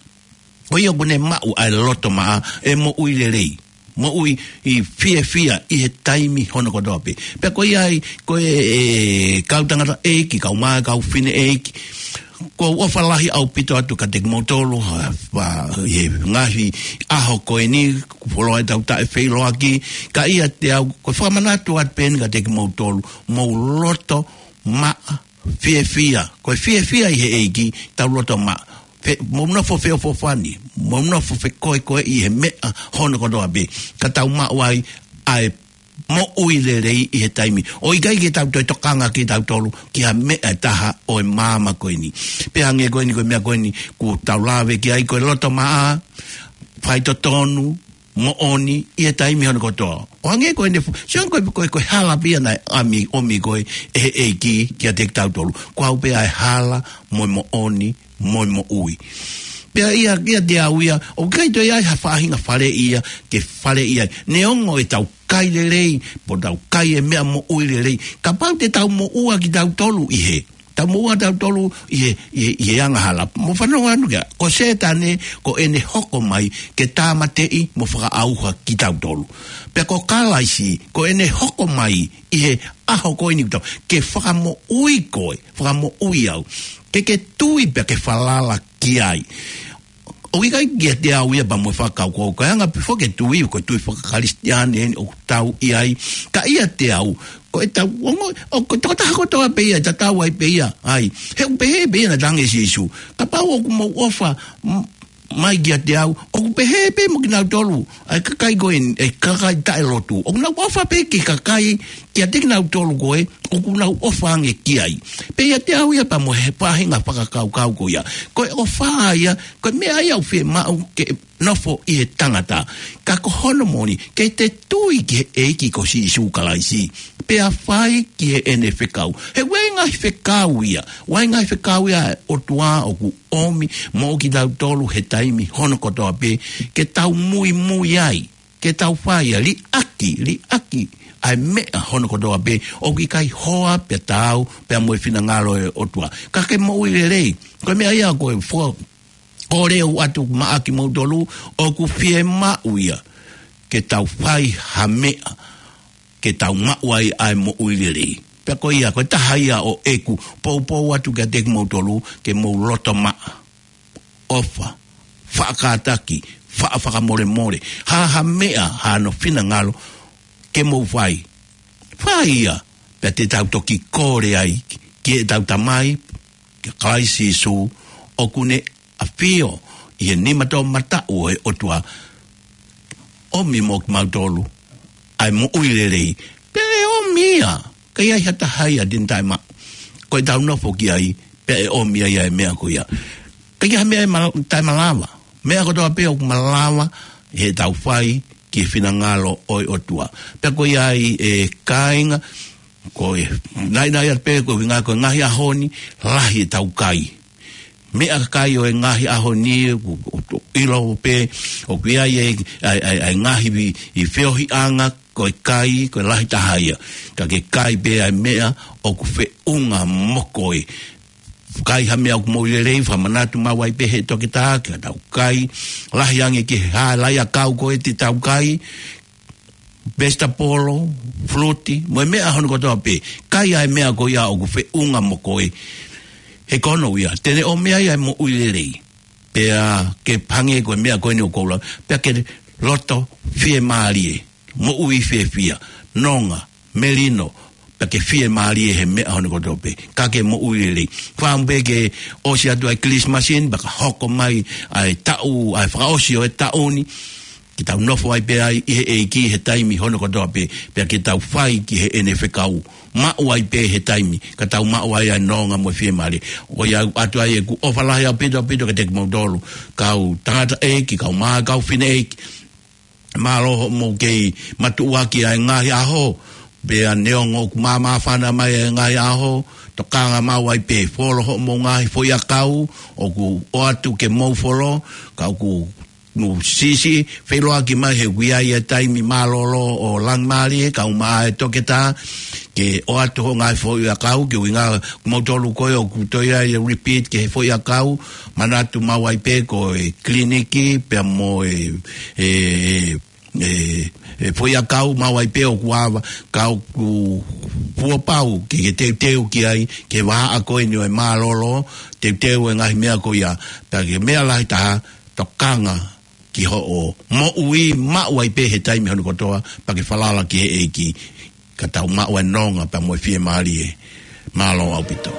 Ko ia ʻoku ne maʻu ʻa e loto maʻa, ʻe moʻui lelei. Moʻui ʻi fiefia ʻi he taimi hono kotoa pē. Pea ko ia ai, ko e, e, kau tangataʻeiki, kau mā, kau fineʻeiki. ʻOku ou ʻofa lahi ʻaupito atu kiate kimoutolu, ha, ha, ʻi he ngaahi ʻaho ko eni, kuo fuoloa ʻetau taʻefeiloaki, ka ʻiate au, ʻoku ou fakamanatu atu pē eni kiate kimoutolu, mou loto maʻa, fiefia, ko e fiefia ʻi he ʻEiki, tau loto maʻa. Fe-, mou nofo feʻofoʻofani, mou nofo fekoekoeʻi he meʻa hono kotoa pē, ka tau maʻu ai ʻa e moʻui lelei ʻi he taimi. ʻOku ʻikai ke tau toe tokanga kitautolu ki ha meʻa ʻe taha ʻo e māmani ko eni. Pea hangē ko eni ko e meʻa ko eni kuo tau lave ki ai, ko e loto maʻa, faitotonu, moʻoni ʻi he taimi hono kotoa. ʻO hangē ko eni fu-, sio ko e, ko e, ko e hala pē ia naʻe ʻomi, ʻomi ko ē ʻe he ʻEiki kiate kitautolu. Ko au pē ʻa e hala mo e moʻoni mo e moʻui. Pea ʻiate au ia, ʻoku ʻikai toe ʻi ai ha faʻahinga faleʻi ia ke faleʻi ai. Neongo ʻetau kai lelei, pe tau kai e meʻa moʻui lelei, kapau te tau moʻua kitautolu ʻi he, tau moʻua tautolu ʻi he, ʻi he, ʻi he angahala. Mou fanongo atu ki ai, ko Sētane, ko ʻene hoko mai ke tāmateʻi mo fakaʻauha kitautolu. Pea ko Kalaisi, ko ʻene hoko mai ʻi he ʻaho ko eni kitautolu, ke fakamoʻui koe, fakamoʻui au. Ke ke tui pea ke falala ki ai. ʻOku ʻikai kiate au ia pea mo e fakakaukau, ko e anga pē foki e tui, ko e tui fakakalisitiane eni ʻoku tau ʻi ai. Ka ʻiate au, ko ʻetau ongo, ʻo ko e tokotaha kotoa pē ia, tatau ai pē ia, ʻai. He ʻoku pehē pē ia naʻe talaange ʻe Sīsū. Kapau ʻoku mou ʻofa, m-, mai kiate au, ʻoku pehē pē mo kinautolu ʻa e kakai ko eni, ʻa e kakai taʻelotu. ʻOku nau ʻofa pē ki he kakai, kiate kinautolu ko ē ʻoku nau ʻofa ange ki ai. Pea ʻiate au ia pea mo e faʻahinga fakakaukau ko ia. Ko e ʻofa ia, ko e meʻa ia ʻoku fiemaʻu ke nofo ʻi he tangata. Ka ko hono moʻoni, ke te tui ki he ʻEiki ko Sīsū Kalaisi, pea fai ki heʻene fekau. He ʻoku ʻi ai e ngaahi fekau ia, ʻoku ʻi ai e ngaahi fekau ia ʻa e ʻOtua ʻoku ʻomi moʻo kitautolu he taimi hono kotoa pē, ke tau muimui ai, ke tau fai ia, liʻaki, liʻaki ʻa e meʻa hono kotoa pē ʻoku ʻikai hoa pea taau pea mo e finangalo ʻo e ʻOtua. Ka ke moʻui lelei, ko e meʻa ia ko e fo-, ko e lea atu maʻa kimoutolu, ʻoku fiemaʻu ia ke tau fai ha meʻa, ke tau maʻu ai ʻa e moʻui lelei. Pea ko ia, ko e taha ia ʻo ʻeku poupou atu kiate kimoutolu, ke mou loto maʻa, ʻofa, faʻa kātaki, faʻa fakamolemole, ha, ha meʻa, hano finangalo, ke mou fai. Fai ia, pea te tau toki kole ai ki heʻetau Tamai, kia Kalaisi Sīsū, ʻoku ne ʻafio ʻi he nima toʻomataʻu ʻo e ʻOtua, ʻomi moʻo kimautolu ʻa e moʻui lelei. Pea ʻe ʻomi ia, ʻikai ʻi ai ha taha ia te ne taʻemaʻu. Ko ʻetau nofo ki ai, pea ʻe ʻomi ai ʻa e meʻa ko ia. ʻIkai ha meʻa ʻe mal-, taʻemalava. Meʻa kotoa pē ʻoku malava heʻetau fai ki he finangalo ʻo e ʻOtua. Pea ko ia ai e kāinga, ko e, naʻinaʻi atu pē ko e ʻuhinga ko e ngaahi ʻaho ni, lahi ʻetau kai. Meʻakai ʻo e ngaahi ʻaho ni, ʻoku, ʻoku, ʻoku ʻilo pē, ʻoku ʻi ai e, ʻa e, ʻa e, ʻa e ngaahi vi-, ʻi feohiʻanga, ko e kai, ko e lahi taha ia. Ka ke kai pē ʻa e meʻa ʻoku feʻunga mo koe. Kai ha meʻa ʻoku moʻui lelei, fakamanatu maʻu ai pē he toketā, ke tau kai, lahi ange ki he hā e lai ʻakau ko ē te tau kai, vesitapolo, fuluti, mo e meʻa hono kotoa pē. Kai ʻa e meʻa ko ia ʻoku feʻunga mo koe. He ko hono ʻuhinga, te ne ʻomi ai ʻa e moʻui lelei. Pea ke hangē ko e meʻa ko eni ʻoku ou lau, pea ke loto fiemālie, moʻui fiefia, nonga, melino, pea ke fiemālie he meʻa hono kotoa pē. Ka ke moʻui lelei. Fakaʻamu pē ke ʻosi atu ʻa e Kilisimasi ni, pea ka hoko mai ʻa e taʻu, ʻa e fakaʻosi ʻo e taʻu ni, ke tau nofo ai pē ai ʻi he ʻEiki he taimi hono kotoa pē, pea ke tau fai ki heʻene fekau, maʻu ai pē he taimi, ka tau maʻu ai ʻa e nonga mo e fiemālie. Ko ia ʻoatu ai ʻeku ʻofa lahi ʻaupito, ʻaupito kiate kimoutolu, kau tangataʻeiki, kau mā, kau fineʻeiki, mālō hoʻomou kei matuʻuaki ʻa e ngaahi ʻaho, pea neongo ʻoku māmāfana mai ʻa e ngaahi ʻaho, tokanga maʻu ai pē, folo hoʻomou ngaahi foʻiʻakau ʻoku ʻoatu ke mou folo, ka ʻoku mou siʻisiʻi, feʻiloaki mai he ʻoku ʻi ai e taimi mālōlō ʻo langimālie, kau mā e toketā, ke ʻoatu hoʻo ngaahi foʻiʻakau, ke ʻuhinga kimoutolu ko ē ʻoku toe ʻi ai e repeat ki he foʻiʻakau, manatu maʻu ai pē ko e kiliniki, pea mo e, e, e, e foʻiʻakau maʻu ai pē ʻoku ava, ka ʻoku fuopau ke, ke teuteu ki ai, ke vahaʻa ko eni ʻo e mālōlō, teuteu e ngaahi meʻa ko ia, pea ke meʻa lahi taha, tokanga ki hoʻo moʻui maʻu ai pē he taimi hono kotoa, pea ke falala ki he ʻEiki, ka tau maʻu ʻa e nonga pea mo e fiemālie. Mālō ʻaupito.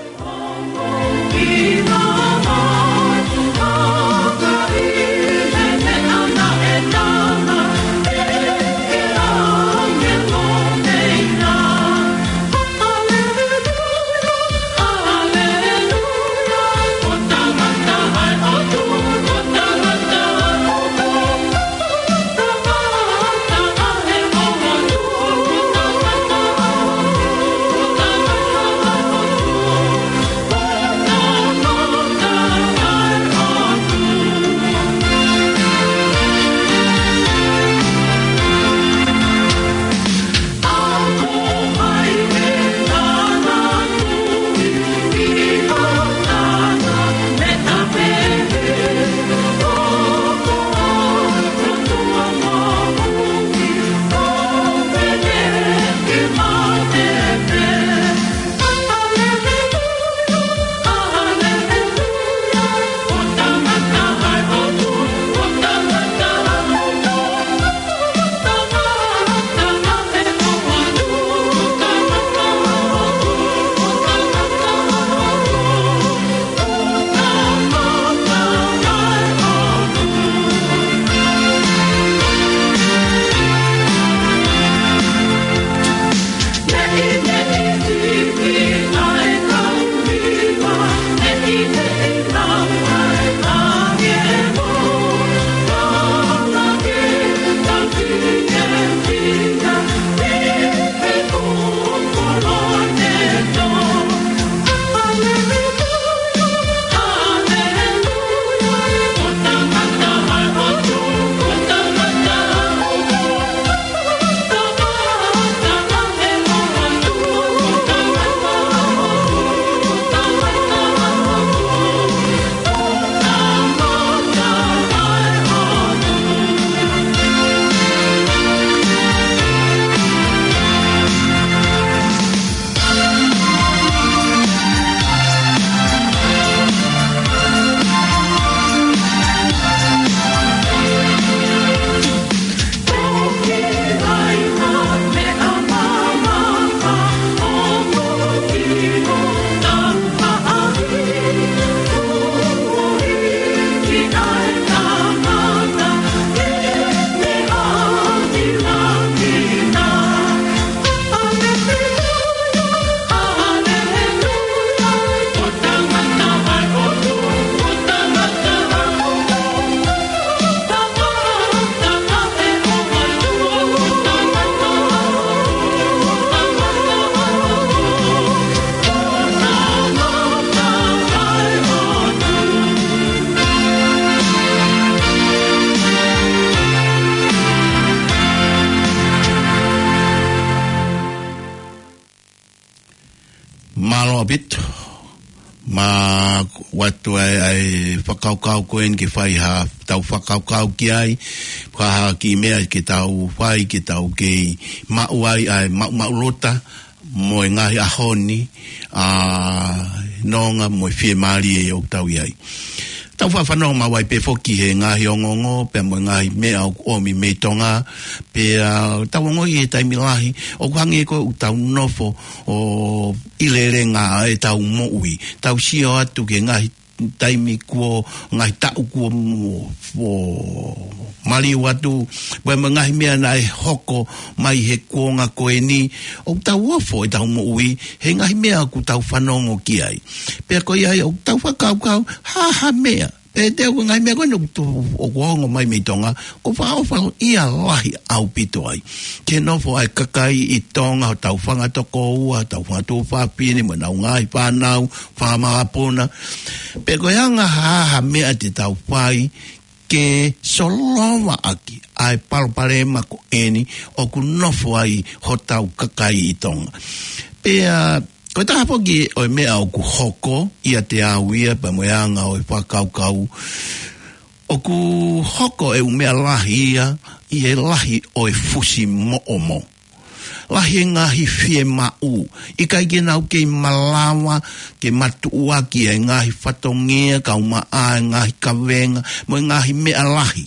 ʻAupito. Ma watu ai ai fakakaukau ko eni ke fai ha tau fakakaukau ki ai. Ka ha kiʻi meʻa ke tau fai, ke tau kei maʻu ai ai maʻu maʻu lota mo e ngaahi ʻaho ni, ʻa e nonga mo e fiemālie ʻoku tau ʻi ai. Tau fafanongo maʻu ai pē foki he ngaahi ongoongo, pea mo e ngaahi meʻa ʻoku ʻomi mei Tonga, pea tau ongoʻi he taimi lahi, ʻoku hangē ko ʻetau nofo ʻo ʻi lelei ʻa ʻetau moʻui. Tau sio atu ki he ngaahi taimi kuo, ngaahi taʻu kuo mo-, mo-, maliu atu, pea mo e ngaahi meʻa naʻe hoko mai he kuonga ko eni, ʻoku tau ofo ʻetau moʻui, he ngaahi meʻa ʻoku tau fanongo ki ai. Pea ko ia ai ʻoku tau fakakaukau, ha ha meʻa. Pea te u ngaahi meʻa ko eni ʻoku tu-, ʻoku ongo mai mei Tonga, ʻoku fakaʻofa ia lahi ʻaupito ai. Ke nofo ai kakai ʻi Tonga, hotau fanga tokoua, hotau fanga tuofāfine, mo ʻenau ngaahi fānau, fanga makapuna. Pea ko e anga ha ha meʻa te tau fai, ke solova ʻaki ʻa e palopalema ko eni ʻoku nofo ai hotau kakai ʻi Tonga. Pea ko e taha foki ʻo e meʻa ʻoku hoko ʻiate au ia pea mo e anga ʻo e fakakaukau, ʻoku hoko e ʻū meʻa lahi ia ʻi he lahi ʻo e fusimoʻomo. Lahi e ngaahi fiemaʻu, ʻikai ke nau kei malava ke matuʻuaki e ngaahi fatongia, kaumaʻā e ngaahi kavenga, mo e ngaahi meʻa lahi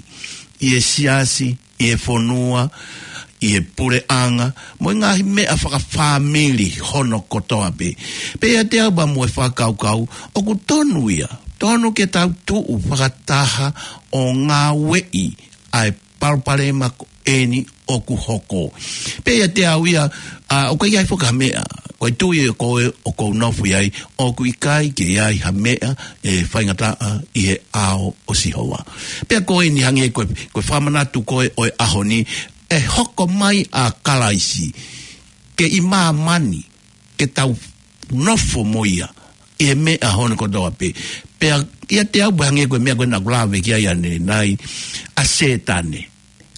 ʻi he siasi, ʻi he fonua, ʻi he puleʻanga, mo e ngaahi meʻa fakafāmili hono kotoa pē. Pea ʻiate au pea mo e fakakaukau, ʻoku tonu ia, tonu ke tau tuʻu fakataha ʻo ngāueʻi ʻa e palopalema ko eni ʻoku hoko. Pea ʻiate au ia, ʻa, ʻoku ʻikai foki ha meʻa. Ko e tui ʻoku ou, ʻoku ou nofo ai, ʻoku ʻikai ke ʻi ai ha meʻa ʻe faingataʻa ʻi he ʻao ʻo Sihova. Pea ko eni hangē ko e, ko e fakamanatu ko ē ʻo e ʻaho ni, ʻe hoko mai ʻa Kalaisi ke ʻi māmani, ke tau nofo mo ia ʻi he meʻa hono kotoa pē. Pea ʻiate au pea hangē ko e meʻa ko ē naʻa ku lave ki ai ʻanenai, ʻa Sētane.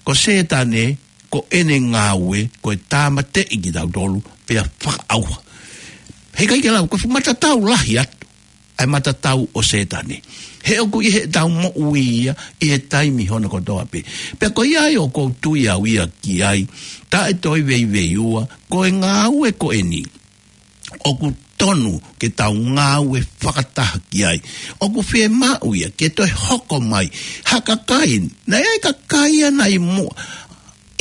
Ko Sētane, ko ʻene ngāue, ko e tāmateʻi kitautolu, pea fakaʻauha. Heʻikai ke lau, ko e fuʻu matatau lahi atu ʻa e matatau ʻo Sētane. He ʻoku ʻi heʻetau moʻui ia ʻi he taimi hono kotoa pē. Pea ko ia ai ʻoku ou tui au ia ki ai, taʻe toe veiveiua, ko e ngāue ko eni ʻoku tonu ke tau ngāue fakataha ki ai. ʻOku fiemaʻu ia ke toe hoko mai ha kakai, naʻe ʻi ai e kakai ia naʻe ʻi muʻa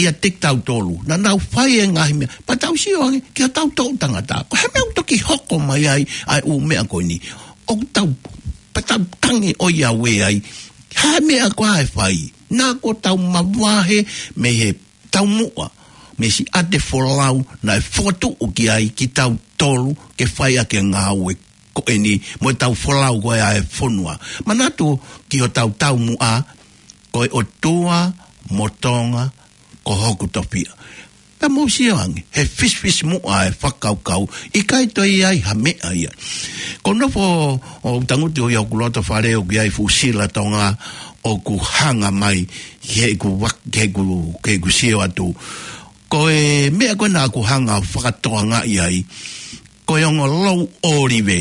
ʻiate kitautolu, naʻa nau fai e ngaahi meʻa, pea tau sio ange ki hotau toʻu tangata. Ko e hā e meʻa ʻoku toki hoko mai ai ʻa e ʻū meʻa ko eni? ʻOku tau, pea tau tangi ʻo ia ue ai, ha meʻa ko ā ʻe fai? Naʻa kuo tau mavahe mei he taumuʻa, mei he siʻate folau naʻe fokotuʻu ki ai kitautolu ke fai ʻaki e ngāue ko eni, mo ʻetau folau ko ē ʻa e fonua. Manatu ki hotau taumuʻa, ko e ʻOtua mo Tonga ko hoku tofiʻa. Pea mou sio ange, he fisifisimuʻa e fakakaukau, ʻikai toe ʻi ai ha meʻa ia. Ko e nofo ʻo tangutu ʻi hoku loto fale ʻoku ʻi ai e fuʻu sila Tonga ʻoku hanga mai, heʻeku vak-, heʻeku, heʻeku sio atu. Ko e meʻa ko ē naʻa ku hanga ʻo fakatokangaʻi ai, ko e ongo louʻolive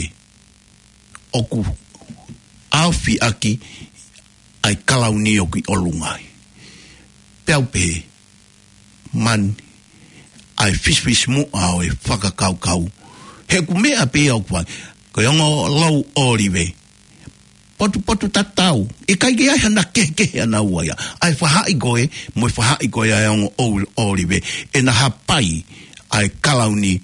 ʻoku ʻaofi ʻaki ʻa e kalauni ʻoku ʻi ʻolunga ai. Pea u pehē, mani, ʻa e fisifisimuʻa ʻo e fakakaukau. Heʻeku meʻa pē ia ʻoku fai, ko e ongo louʻolive, potupotutatau, ʻikai ke ʻi ai hano kehekehe ʻanaua ia. ʻA e faʻahi ko ē, mo e faʻahi ko ē ʻa e ongo ʻou-, ʻolive, ʻena hapai ʻa e kalauni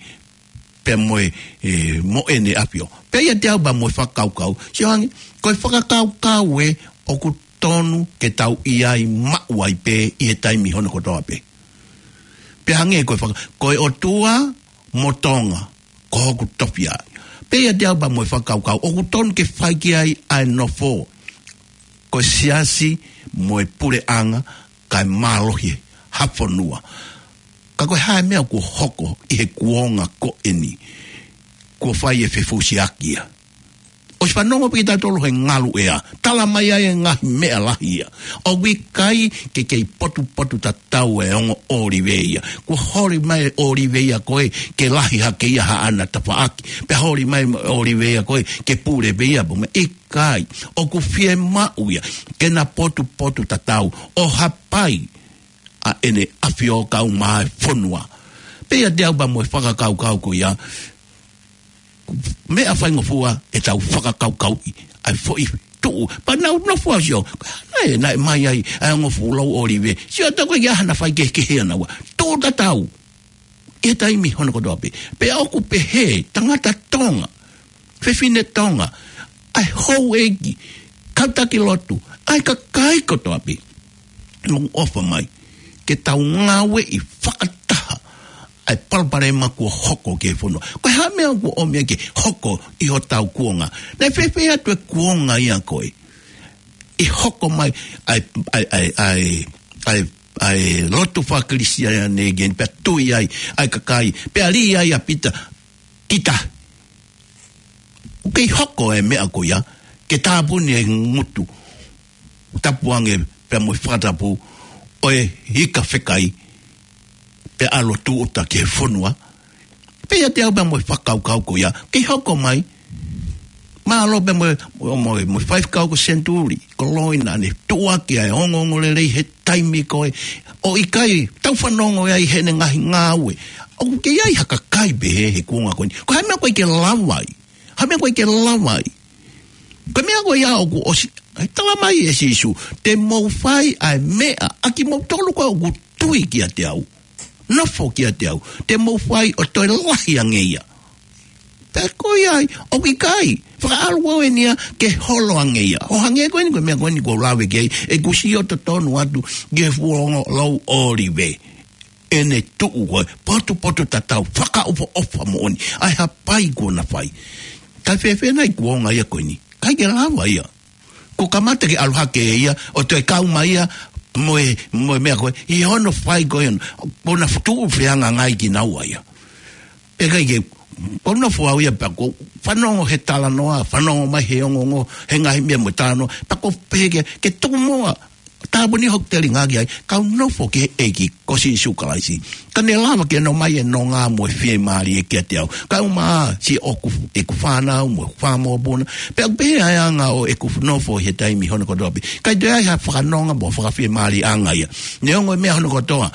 pea mo e, e, mo ʻene ʻafio. Pea ʻiate au pea mo e fakakaukau, sio ange, ko e fakakaukau ē ʻoku tonu ke tau ʻi ai maʻu ai pē ʻi he taimi hono kotoa pē. Pea hangē ko e faka-, ko e ʻOtua mo Tonga ko hoku tofiʻa. Pea ʻiate au pea mo e fakakaukau, ʻoku tonu ke fai ki ai ʻa e nofo, ko e siasi mo e puleʻanga, kae mālohi ha fonua. Ka ko e hā e meʻa kuo hoko ʻi he kuonga ko eni? Kuo fai e fefusiaki ia. ʻOsi fanongo pē kitautolu he ngaluʻea. Tala mai ai e ngaahi meʻa lahi ia. ʻOku ʻikai ke kei potupotutatau e ongo ʻōlive ia. Kuo holi mai e ʻōlive ia ko ē ke lahi hake ia haʻana tafaʻaki. Pea holi mai e ʻōlive ia ko ē ke pule pē ia pō meʻa. ʻIkai. ʻOku fiemaʻu ia ke na potupotutatau ʻo hapai ʻa ʻEne ʻAfio kae ʻumaʻā e fonua. Pea ʻiate au pea mo e fakakaukau ko ia, meʻa faingofua ʻetau fakakaukauʻi ʻa e foʻi tuʻu. Pea nau nofo ʻo sio, naʻe, naʻe mai ai ʻa e ongo fuʻu lau ʻōlive. Sio atu ko e ʻi ai hano faikehekehe ʻanaua. Tuʻu tatau ʻi he taimi hono kotoa pē. Pea ʻoku pehē, tangata Tonga, fefine Tonga, ʻa e houʻeiki, kau taki lotu, ʻa e kakai kotoa pē. Mou ʻofa mai ke tau ngāueʻi fakataha ʻa e palopalema kuo hoko ki he fonua. Ko e hā e meʻa kuo ʻomi ai ke hoko ʻi hotau kuonga? Naʻe fēfē atu e kuonga ia ko ē ʻi he hoko mai ʻa e, ʻa e, ʻa e, ʻa e, ʻa e, ʻa e lotu faka-Kalisitiane ke pea tui ai ʻa e kakai, pea lī ai ʻa Pita ki tahi. ʻOku kei hoko e meʻa ko ia ke tāpuni e ngutu tapu ange pea mo e fakatapu ʻo e ika fekai pea ʻalu ʻo tūʻuta ki he fonua. Pea ʻiate au pea mo e fakakaukau ko ia, kei hoko mai. Mālō pea mo e, mo e, mo e, mo e faifekau ko Senituli, ko Loina, ne tuʻuaki ʻa e ongoongolelei he taimi ko ē. ʻOku ʻikai, tau fanongo ai heʻene ngaahi ngāue. ʻOku kei ʻi ai ha kakai pehē he kuonga ko eni. Ko e hā e meʻa ʻoku ʻikai ke lava ai? Hā e meʻa ʻoku ʻikai ke lava ai? Ko e meʻa ko ia ʻoku ʻosi, ʻai tala mai ʻe Sīsū, te mou fai ʻa e meʻa ʻa kimoutolu ko ē ʻoku tui kiate au, nofo kiate au, te mou fai ʻo toe lahi ange ia. Pea ko ia ai, ʻoku ʻikai, fakaʻalu au eni ia ke holo ange ia. ʻO hangē ko eni ko e meʻa ko eni kuo u lave ki ai, ʻeku sio totonu atu ki he fuʻu ongo lau ʻōlive. ʻEne tuʻu ko ē, potupotutatau, fakaʻofoʻofa moʻoni ʻa e hapai kuo na fai. Kae fēfē nai kuonga ia ko eni? ʻIkai ke lava ia. Kuo kamata ke ʻalu hake ia ʻo toe kau mai ia mo e, mo e meʻa ko ē, ʻi hono fai ko ē, kuo na tuʻu fehangahangai kinaua ia. Pea ʻikai ke, kuo u nofo au ia pea kuo u fanongo he talanoa, fanongo mai he ongoongo, he ngaahi meʻa mo e talanoa, pea kuo u pehē ke, ke tuku muʻa, tāpuni hoku telinga ki ai, kau nofo ki he ʻEiki ko Sīsū Kalaisi. Ka ne lava ke ne ʻomai e nonga mo e fiemālie kiate au. Kae ʻumaʻā siʻoku, ʻeku fānau mo e fāmopuna. Pea ʻoku pehē ʻa e anga ʻo ʻeku nofo he taimi hono kotoa pē. ʻIkai toe ʻi ai ha fakanonga mo fakafiemālieʻanga ia. Neongo e meʻa hono kotoa,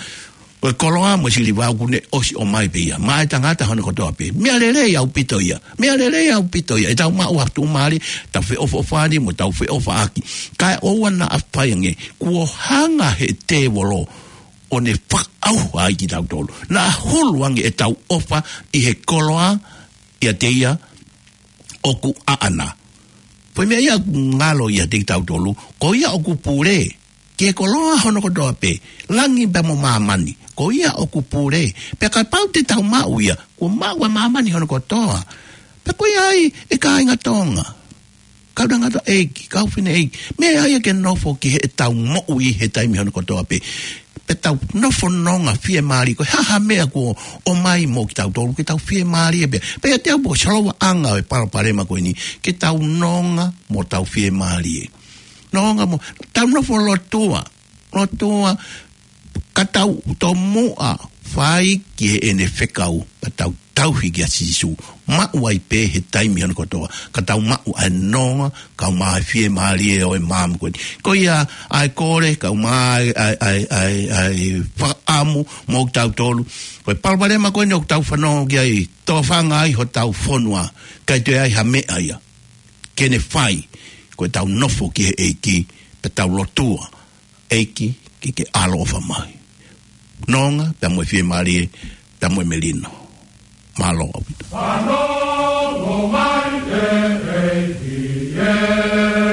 ko e koloa mo e siliva ʻoku ne ʻosi ʻomai pē ia maʻa e tangata hono kotoa pē. Meʻa lelei ʻaupito ia. Meʻa lelei ʻaupito ia. ʻEtau maʻu ha tuʻumālie, tau feʻofoʻofani mo tau feʻofaʻaki. Kae ʻoua naʻa fai ange, kuo hanga he tēvolo ʻo ne fakaʻauha ai kitautolu. Naʻa hulu ange ʻetau ʻofa ʻi he koloa ʻiate ia ʻoku ʻaʻana. Ko e meʻa ia ʻoku ngalo ʻiate kitautolu, ko ia ʻoku pule ki he koloa hono kotoa pē, langi pea mo māmani. Ko ia ʻoku pule. Pea kapau te tau maʻu ia, kuo maʻu ʻa māmani hono kotoa. Pea ko ia ai, ʻe kāinga Tonga, kau tangataʻeiki, kau fineʻeiki, meʻa ia ke nofo ki heʻetau moʻui he taimi hono kotoa pē. Pea tau nofo nonga fiemālie, ko e hā ha meʻa kuo ʻomai mo kitautolu, ke tau fiemālie pē. Pea ʻiate au pē ko e solova ʻanga ʻo e palopalema ko eni, ke tau nonga mo tau fiemālie. Nonga mo, tau nofo lotua, lotua, ka tau tomuʻa fai ki heʻene fekau, pea tau tauhi kia Sīsū. Maʻu ai pē he taimi hono kotoa, ka tau maʻu ʻa e nonga, kae ʻumaʻā e fiemālie ʻo e maama ko eni. Ko ia ʻa e kole, kae ʻumaʻā ʻa e, ʻa e, ʻa e, ʻa e fakaʻamu mo kitautolu. Ko e palopalema ko eni ʻoku tau fanongo ki ai, tōfanga ai hotau fonua, ʻikai toe ʻi ai ha meʻa ia ke ne fai, ko ʻetau nofo ki he ʻEiki, pea tau lotua, ʻEiki, ke ke ʻaloʻofa mai. Nonga, pea mo e fiemālie, pea mo e melino. Mālō ʻaupito. Fanongo mai e ʻEiki ē.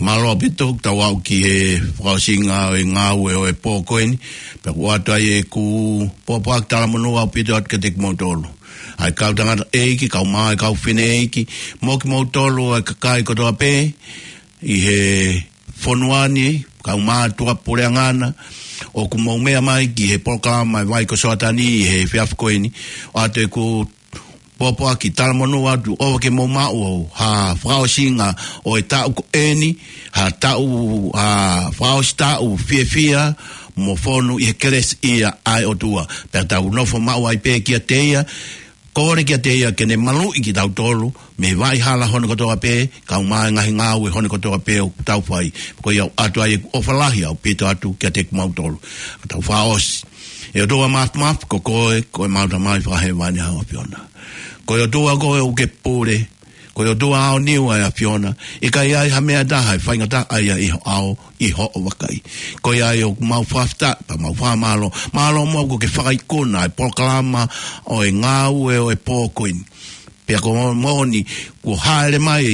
Mālō ʻaupito, tau aʻu ki he fakaʻosinga ʻo e ngāue ʻo e pō ko eni, pea ʻoku ʻoatu ai ʻeku pōpoaki talamonū ʻaupito atu kiate kimoutolu. ʻA e kau tangataʻeiki, kau mā, ʻa e kau fineʻeiki, mo kimoutolu ʻa e kakai kotoa pē, ʻi he fonua ni, kau mātuʻa puleʻanga na, ʻoku mou meʻa mai ki he polokalama ʻa e Vai ko Soatani ʻi he efiafi ko eni, ʻoatu ʻeku pōpoaki talamonū atu ʻoua ke mou maʻu ha fakaʻosinga ʻo e taʻu ko eni, ha taʻu, ha fakaʻosi taʻu fiefia mo fonu ʻi he kelesi ʻa e ʻOtua. Pea tau nofo maʻu ai pē kiate ia, kole kiate ia ke ne maluʻi kitautolu mei he vaʻa hala hono kotoa pē, kau mā ʻa e ngaahi ngāue hono kotoa pē ʻoku tau fai. Ko ia ʻoku ʻoatu ai ʻeku ʻofa lahi ʻaupito atu kiate kimoutolu. Ka tau fakaʻosi. ʻE ʻOtua Māfimafi, ko koe, ko ʻemau Tamai Fakahēvani, ʻa e ʻAfiona. Ko e ʻOtua koe ʻoku ke pule, ko e ʻOtua ʻaoniu ʻa e ʻAfiona, ʻikai ʻi ai ha meʻa ʻe taha ʻe faingataʻa ai ʻi ho ʻao, ʻi hoʻo vakai. Ko ia ai ʻoku mau fakafetaʻi, pea mau fakamālō, mālō muʻa kuo ke fakaikuna ʻa e polokalama ʻo e ngāue ʻo e pō ko eni. Pea ko e moʻoni, kuo hāʻele mai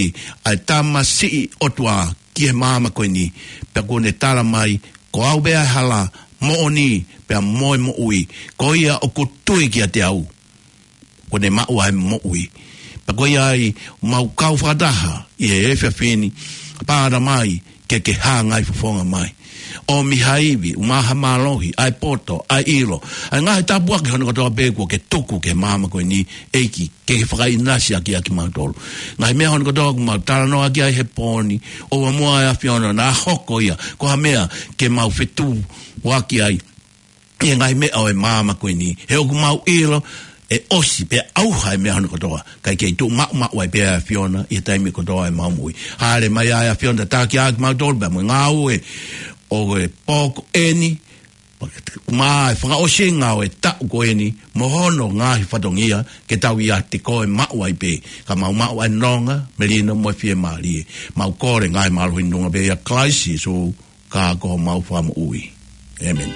ʻa e tamasiʻi ʻOtua ki he māmani ko eni, pea kuo ne tala mai, ko au pē ʻa e hala, moʻoni, pea mo e moʻui, ko ia ʻoku tui kiate au, kuo ne maʻu ʻa e moʻui. Pea ko ia ai, mau kau fakataha ʻi he efiafi ni, pea ʻoua mai ke ke hāngai fofonga mai. ʻOmi ha ivi, ʻumaʻā ha mālohi, ʻa e poto, ʻa e ʻilo, ʻa e ngaahi tāpuaki hono kotoa pē kuo ke tuku ki he māmani ko eni, ʻEiki, ke ke fakaʻinasi ʻaki ʻa kimautolu. Ngaahi meʻa hono kotoa ʻoku mau talanoa ki ai he pō ni, ʻoua muʻa ʻe ʻAfiona naʻa hoko ia ko ha meʻa ke mau fetuʻuaki ai ʻi he ngaahi meʻa ʻo e māmani ko eni. He ʻoku mau ʻilo ʻe ʻosi pea ʻauha ʻa e meʻa hono kotoa, kae kei tuʻu maʻumaʻu ai pē ʻa e ʻAfiona ʻi he taimi kotoa ʻo ʻemau moʻui. Hāʻele mai ʻa e ʻAfiona, tataki ʻa kimautolu pea mo e ngāue ʻo e pō ko eni, ʻumaʻā ʻa e fakaʻosinga ʻo e taʻu ko eni mo hono ngaahi fatongia, ke tau ʻiate koe maʻu ai pē, ka mau maʻu ʻa e nonga, melino mo e fiemālie. Mau kole ngaahi mālohi ʻi he huafa ʻo Kalaisi Sīsū, ka ko homau Fakamoʻui. ʻĒmeni.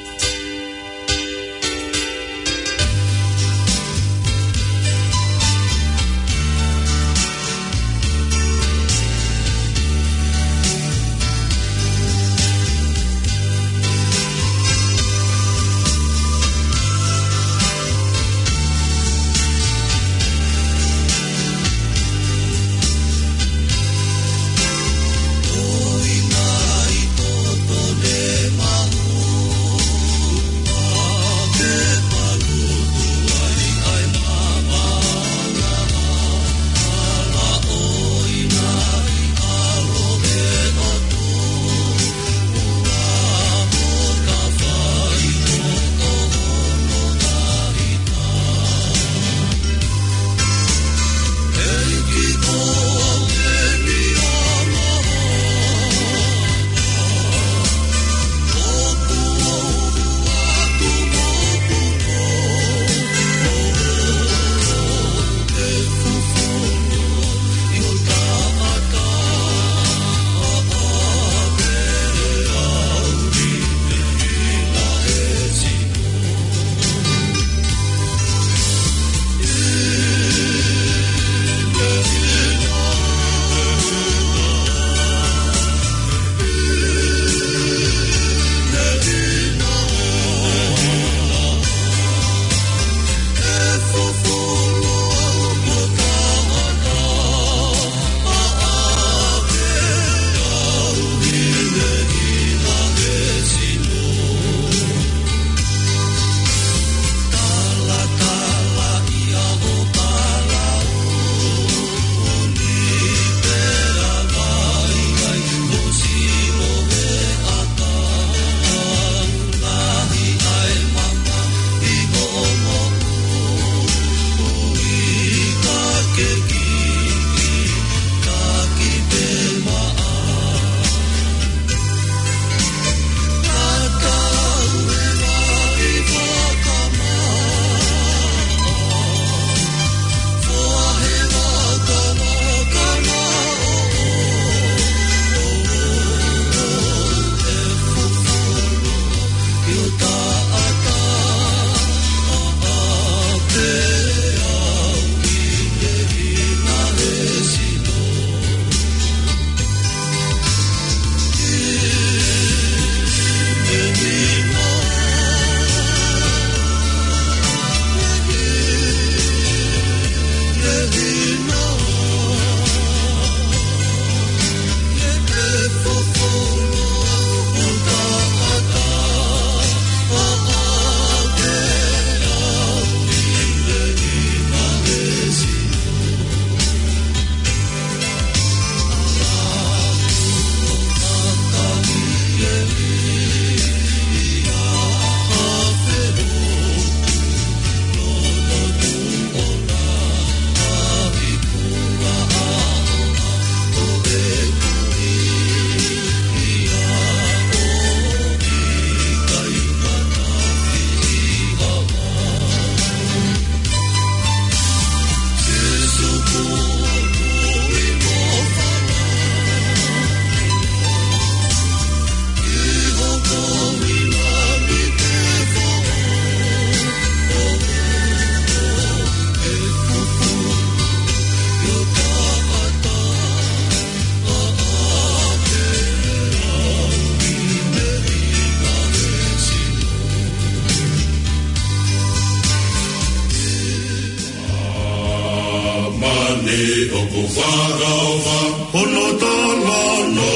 Ani ʻoku fakaʻofa, hono talanoa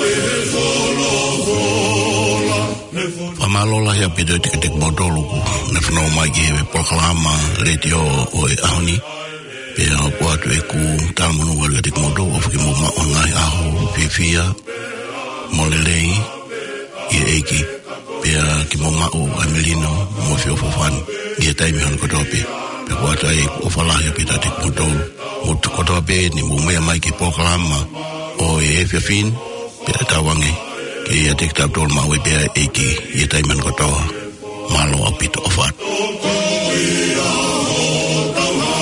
ʻe he folofola. Fakamālō lahi ʻaupito kiate kimoutolu kuo ne fanongo mai ki he polokalama letiō ʻo e ʻaho ni. Pea ʻoku ʻoatu ʻeku talamonū kiate kimoutolu ʻofa ke mou maʻu ha ngaahi ʻaho fiefia mo lelei ʻi he ʻEiki. Pea ke mou maʻu ʻa e melino mo e feʻofoʻofani ʻi he taimi hono kotoa pē. Pea ʻoku ʻoatu ai ʻeku ʻofa lahi ʻaupito kiate kimoutolu. Mou tuʻu kotoa pē ni mou meʻa mai ki he polokalama ʻo e efiafi ni, pea tauange ke ʻiate kitautolu maʻu ai pē ʻa e ʻEiki ʻi he taimi hono kotoa. Mālō ʻaupito, ʻofa atu.